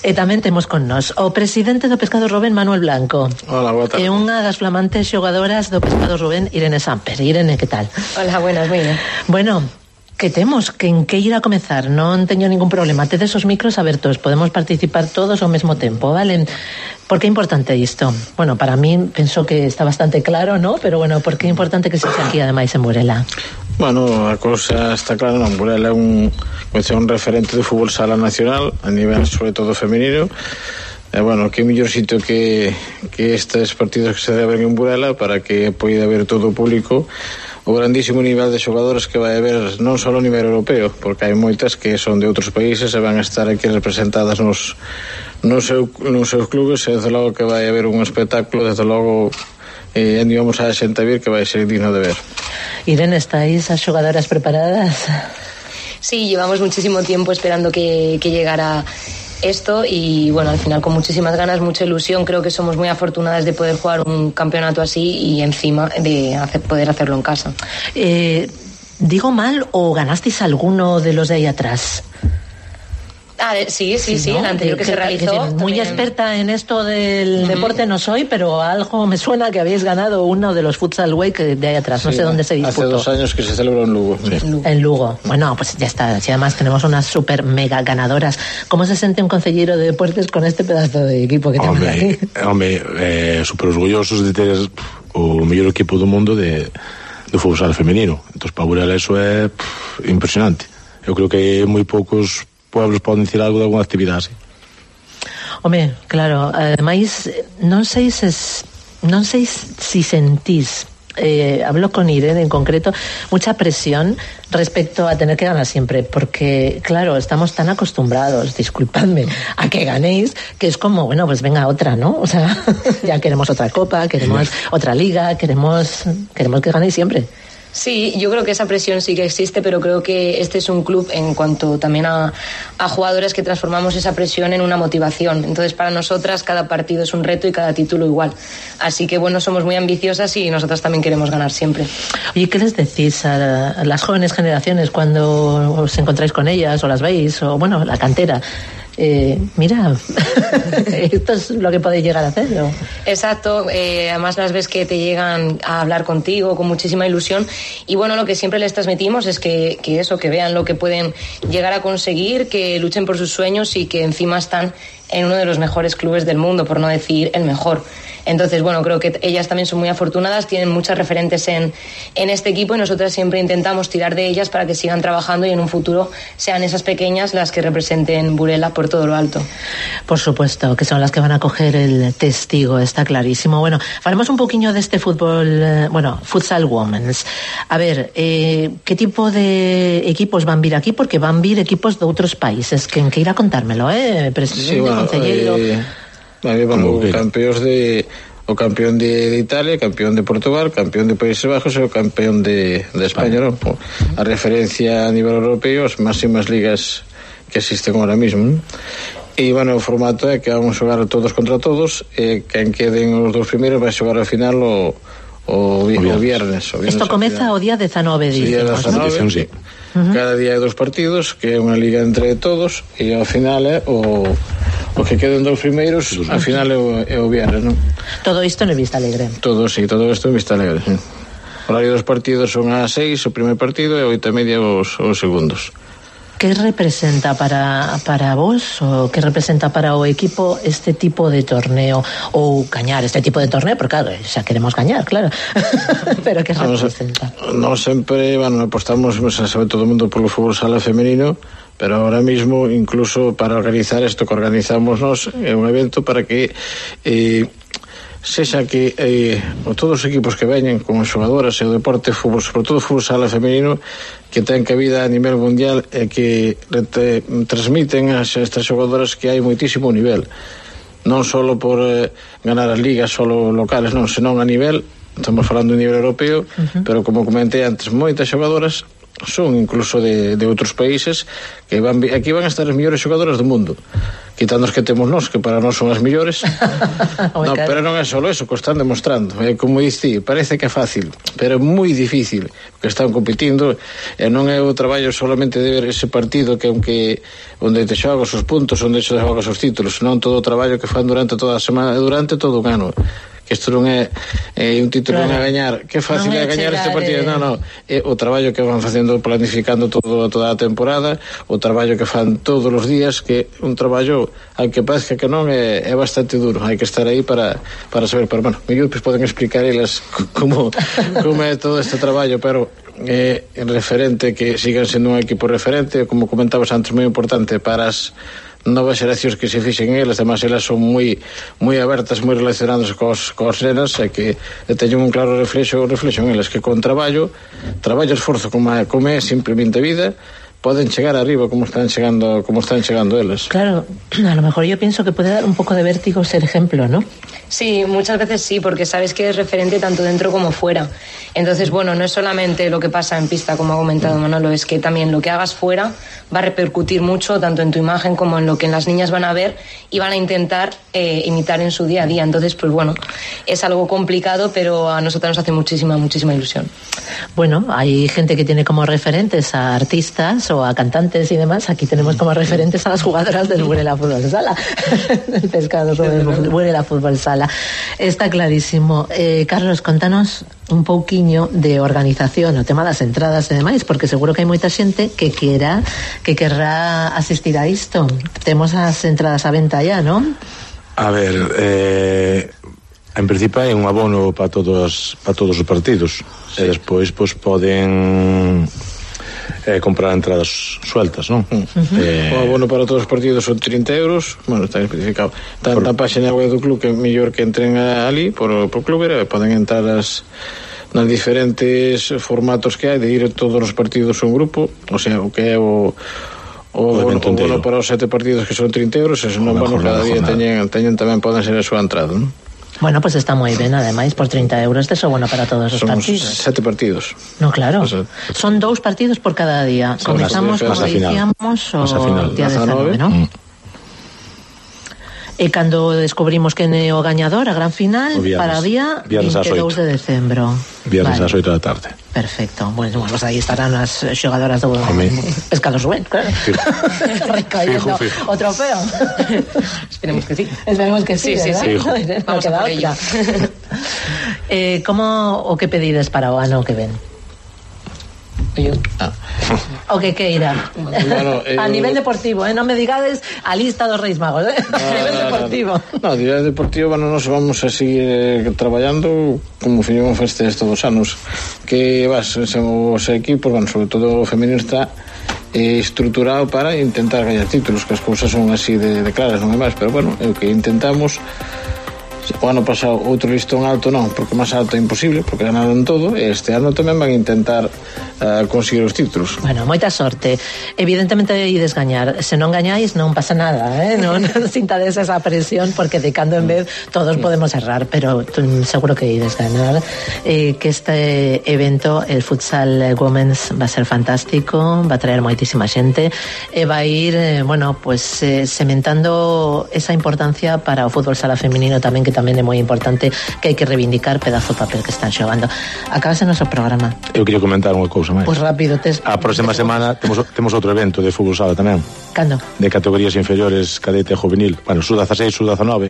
E tamén temos con nos o presidente do Pescado Rubén, Manuel Blanco. Hola, boa tarde. E unha das flamantes xogadoras do Pescado Rubén, Irene Samper. Irene, que tal? Hola, buenas, moi ben. Bueno, que temos, que en que ir a comezar, non teño ningún problema, tedes os micros abertos, podemos participar todos ao mesmo tempo, vale? Por que é importante isto? Bueno, para mí, penso que está bastante claro, ¿no? Pero bueno, por que é importante que se xa aquí, ademais, en Burela? Bueno, a cousa está clara, non, Burela é un, un referente do fútbol sala nacional, a nivel, sobre todo, femenino. E, bueno, que mellor sitio que, que estes partidos que se deben en Burela para que poida ver todo o público o grandísimo nivel de xogadores que vai haber non só a nivel europeo, porque hai moitas que son de outros países e van a estar aquí representadas nos, nos, seu, nos seus clubes e desde logo que vai haber un espectáculo, desde logo e eh, vamos a xente a vir que vai ser digno de ver. Irene, ¿estáis as xogadoras preparadas? Sí, llevamos muchísimo tiempo esperando que, que llegara esto y bueno, al final con muchísimas ganas, mucha ilusión. Creo que somos muy afortunadas de poder jugar un campeonato así y encima de hacer, poder hacerlo en casa. Eh, ¿Digo mal o ganasteis alguno de los de ahí atrás? Ah, sí, sí, sí, sí, ¿no? el anterior que, que se realizó. Que, que muy también... experta en esto del uh-huh. deporte no soy, pero algo me suena que habéis ganado uno de los Futsal Week de ahí atrás. No sí, sé dónde se disputó. Hace dos años que se celebró en Lugo. Sí. En Lugo. Bueno, pues ya está. Si además tenemos unas super mega ganadoras. ¿Cómo se siente un concejero de deportes con este pedazo de equipo que tenemos aquí? Hombre, eh, super orgullosos de ter o mellor equipo do mundo de, de fútbol sala femenino. Entonces, para Burela eso é pff, impresionante. Eu creo que moi poucos pueblos poden dicir algo de alguna actividade así. Home, claro, ademais non sei se non sei si sentís eh, hablo con Irene en concreto mucha presión respecto a tener que ganar siempre, porque claro, estamos tan acostumbrados, disculpadme, a que ganéis, que es como, bueno, pues venga otra, ¿no? O sea, ya queremos otra copa, queremos otra liga, queremos queremos que ganéis siempre. Sí, yo creo que esa presión sí que existe, pero creo que este es un club en cuanto también a, a jugadores que transformamos esa presión en una motivación. Entonces, para nosotras cada partido es un reto y cada título igual. Así que, bueno, somos muy ambiciosas y nosotras también queremos ganar siempre. Oye, ¿qué les decís a, a las jóvenes generaciones cuando os encontráis con ellas o las veis? O, bueno, la cantera. Eh, mira, esto es lo que podéis llegar a hacer, ¿no? Exacto, eh, además las ves que te llegan a hablar contigo con muchísima ilusión y bueno, lo que siempre les transmitimos es que, que eso, que vean lo que pueden llegar a conseguir, que luchen por sus sueños y que encima están en uno de los mejores clubes del mundo, por no decir el mejor. Entonces, bueno, creo que ellas también son muy afortunadas, tienen muchas referentes en, en este equipo y nosotras siempre intentamos tirar de ellas para que sigan trabajando y en un futuro sean esas pequeñas las que representen Burela por todo lo alto. Por supuesto, que son las que van a coger el testigo, está clarísimo. Bueno, faremos un poquinho de este fútbol, eh, bueno, futsal women's. A ver, eh, ¿qué tipo de equipos van a vir aquí? Porque van a vir equipos de outros países. Que, que irá contármelo, eh, presidente, sí, bueno, concelleiro... Eh... Aí vamos o campeóns de o campeón de, de Italia, campeón de Portugal, campeón de Países Bajos e o campeón de, de España, ¿no? A referencia a nivel europeo, as máximas ligas que existen ahora mismo, ¿no? E, bueno, o formato é que vamos xogar todos contra todos e quen queden os dous primeiros vai xogar ao final o, o, o, viernes. o viernes. O viernes Isto comeza o día dezanove, dicimos, ¿no? Sí. Uh-huh. Cada día hai dos partidos, que é unha liga entre todos, e ao final é o, o que queden dos primeiros, ao final é o, é o viernes, non? Todo isto en Vista Alegre. Todo, sí, todo isto en Vista Alegre, sí. O horario dos partidos son a seis o primer partido e a oito e media os, os segundos. Que representa para, para vos ou que representa para o equipo este tipo de torneo ou gañar este tipo de torneo? Porque claro, xa queremos gañar, claro. Pero que representa? Non sempre, bueno, apostamos, sabe todo o mundo polo fútbol sala femenino, pero ahora mismo incluso para organizar isto que organizamos nós é un evento para que eh, sexa que eh, todos os equipos que veñen como xogadoras e o deporte fútbol, sobre todo fútbol sala femenino, que ten cabida a nivel mundial e que te, transmiten as estas xogadoras que hai moitísimo nivel, non só por eh, ganar as ligas solo locales, non, senón a nivel, estamos falando de nivel europeo, uh-huh. Pero como comentei antes, moitas xogadoras son incluso de, de outros países que van, aquí van a estar as mellores xogadoras do mundo, quitando as que temos nós, que para nós son as mellores. No, pero non é só eso, que están demostrando, é como dicía, parece que é fácil, pero é moi difícil que están competindo, e non é o traballo solamente de ver ese partido que aunque onde te xogas os puntos, onde te xogas os títulos, non todo o traballo que fan durante toda a semana, durante todo o ano. Isto non é, é un título, claro, non é gañar, que fácil é gañar este partido, eh... non, non, é o traballo que van facendo, planificando todo, toda a temporada, o traballo que fan todos os días, que un traballo, aunque parezca que non, é, é bastante duro, hai que estar aí para, para saber, pero bueno, mellor pues, poden explicar elas como, como é todo este traballo, pero é eh, referente, que sigan sendo un equipo referente, como comentabas antes, moi importante para as novas xeracións que se fixen elas, además elas son moi moi abertas, moi relacionadas cos, cos nenas, e que teñen un claro reflexo, reflexo en elas, que con traballo traballo, esforzo, como é, como é simplemente vida, poden chegar arriba como están chegando, como están chegando elas. Claro, a lo mejor yo pienso que puede dar un poco de vértigo ser ejemplo, ¿no? Sí, muchas veces sí, porque sabes que es referente tanto dentro como fuera. Entonces, bueno, no es solamente lo que pasa en pista, como ha comentado Manolo, es que también lo que hagas fuera va a repercutir mucho tanto en tu imagen como en lo que las niñas van a ver y van a intentar eh, imitar en su día a día. Entonces, pues bueno, es algo complicado, pero a nosotros nos hace muchísima, muchísima ilusión. Bueno, hay gente que tiene como referentes a artistas o a cantantes y demás. Aquí tenemos como referentes a las jugadoras del Burela Fútbol Sala. El pescado del Burela Fútbol Sala. Está clarísimo. Eh, Carlos, contanos un pouquiño de organización, o tema das entradas e demais, porque seguro que hai moita xente que quera, que querrá asistir a isto. Temos as entradas á venta ya, non? A ver, eh, en principio hai un abono para todos para todos os partidos, sí. E despois pois poden eh, comprar entradas sueltas, non? Uh-huh. Eh, o abono para todos os partidos son trinta euros, bueno, está especificado. Está por... na página web do club, que é mellor que entren ali por, por club, e poden entrar as nas diferentes formatos que hai de ir a todos os partidos un grupo, o sea, o que é o o, o, o bono para os sete partidos que son trinta euros, e se non bono cada día teñen, teñen tamén poden ser a súa entrada, non? Bueno, pues está moi ben, ademais, por trinta euros de eso bueno para todos os son partidos. Sete partidos. No, claro. O sea, son dous partidos por cada día. Comenzamos, como dicíamos, o día dezanove, ¿no? Mm. E cando descubrimos que é o gañador, a gran final, viernes, para o día vinte e dous de decembro. Viernes vale. ás oito da tarde. Perfecto. Bueno, pues aí estarán as xogadoras do Pescados Rubén, claro. Recaendo o trofeo. Esperemos que sí. Esperemos que sí, sí, sí, sí. No, vamos a por ello. eh, como o que pedides para o ano que ven? Ah. O que queira. Bueno, eh, a nivel deportivo, eh? Non me digades a lista dos Reis Magos, eh? No, a nivel no, deportivo. No, a nivel deportivo, bueno, nos vamos a seguir eh, traballando como fiñemos estes todos os anos. Que vas, os equipos, bueno, sobre todo o femenino está eh, estruturado para intentar gañar títulos, que as cousas son así de, de claras, non é máis, pero bueno, é o que intentamos. O ano pasado outro listón alto non, porque máis alto é imposible, porque ganaron todo, e este ano tamén van a intentar uh, conseguir os títulos. Bueno, moita sorte. Evidentemente ides gañar. Se non gañáis non pasa nada, eh? Non sintades esa presión, porque de cando en vez todos podemos errar, pero seguro que ides ganar. Eh, que este evento, el Futsal Women's, va a ser fantástico, va a traer moitísima xente, e va a ir, eh, bueno, pues eh, sementando esa importancia para o fútbol sala feminino tamén, que tamén é moi importante, que hai que reivindicar pedazo de papel que están xogando. Acabase o noso programa. Eu quería comentar unha cousa máis. Pois pues rápido, tes... A próxima semana temos, temos outro evento de fútbol sala tamén. Cando? De categorías inferiores, cadete e juvenil. Bueno, sub dezasseis, sub dezanove.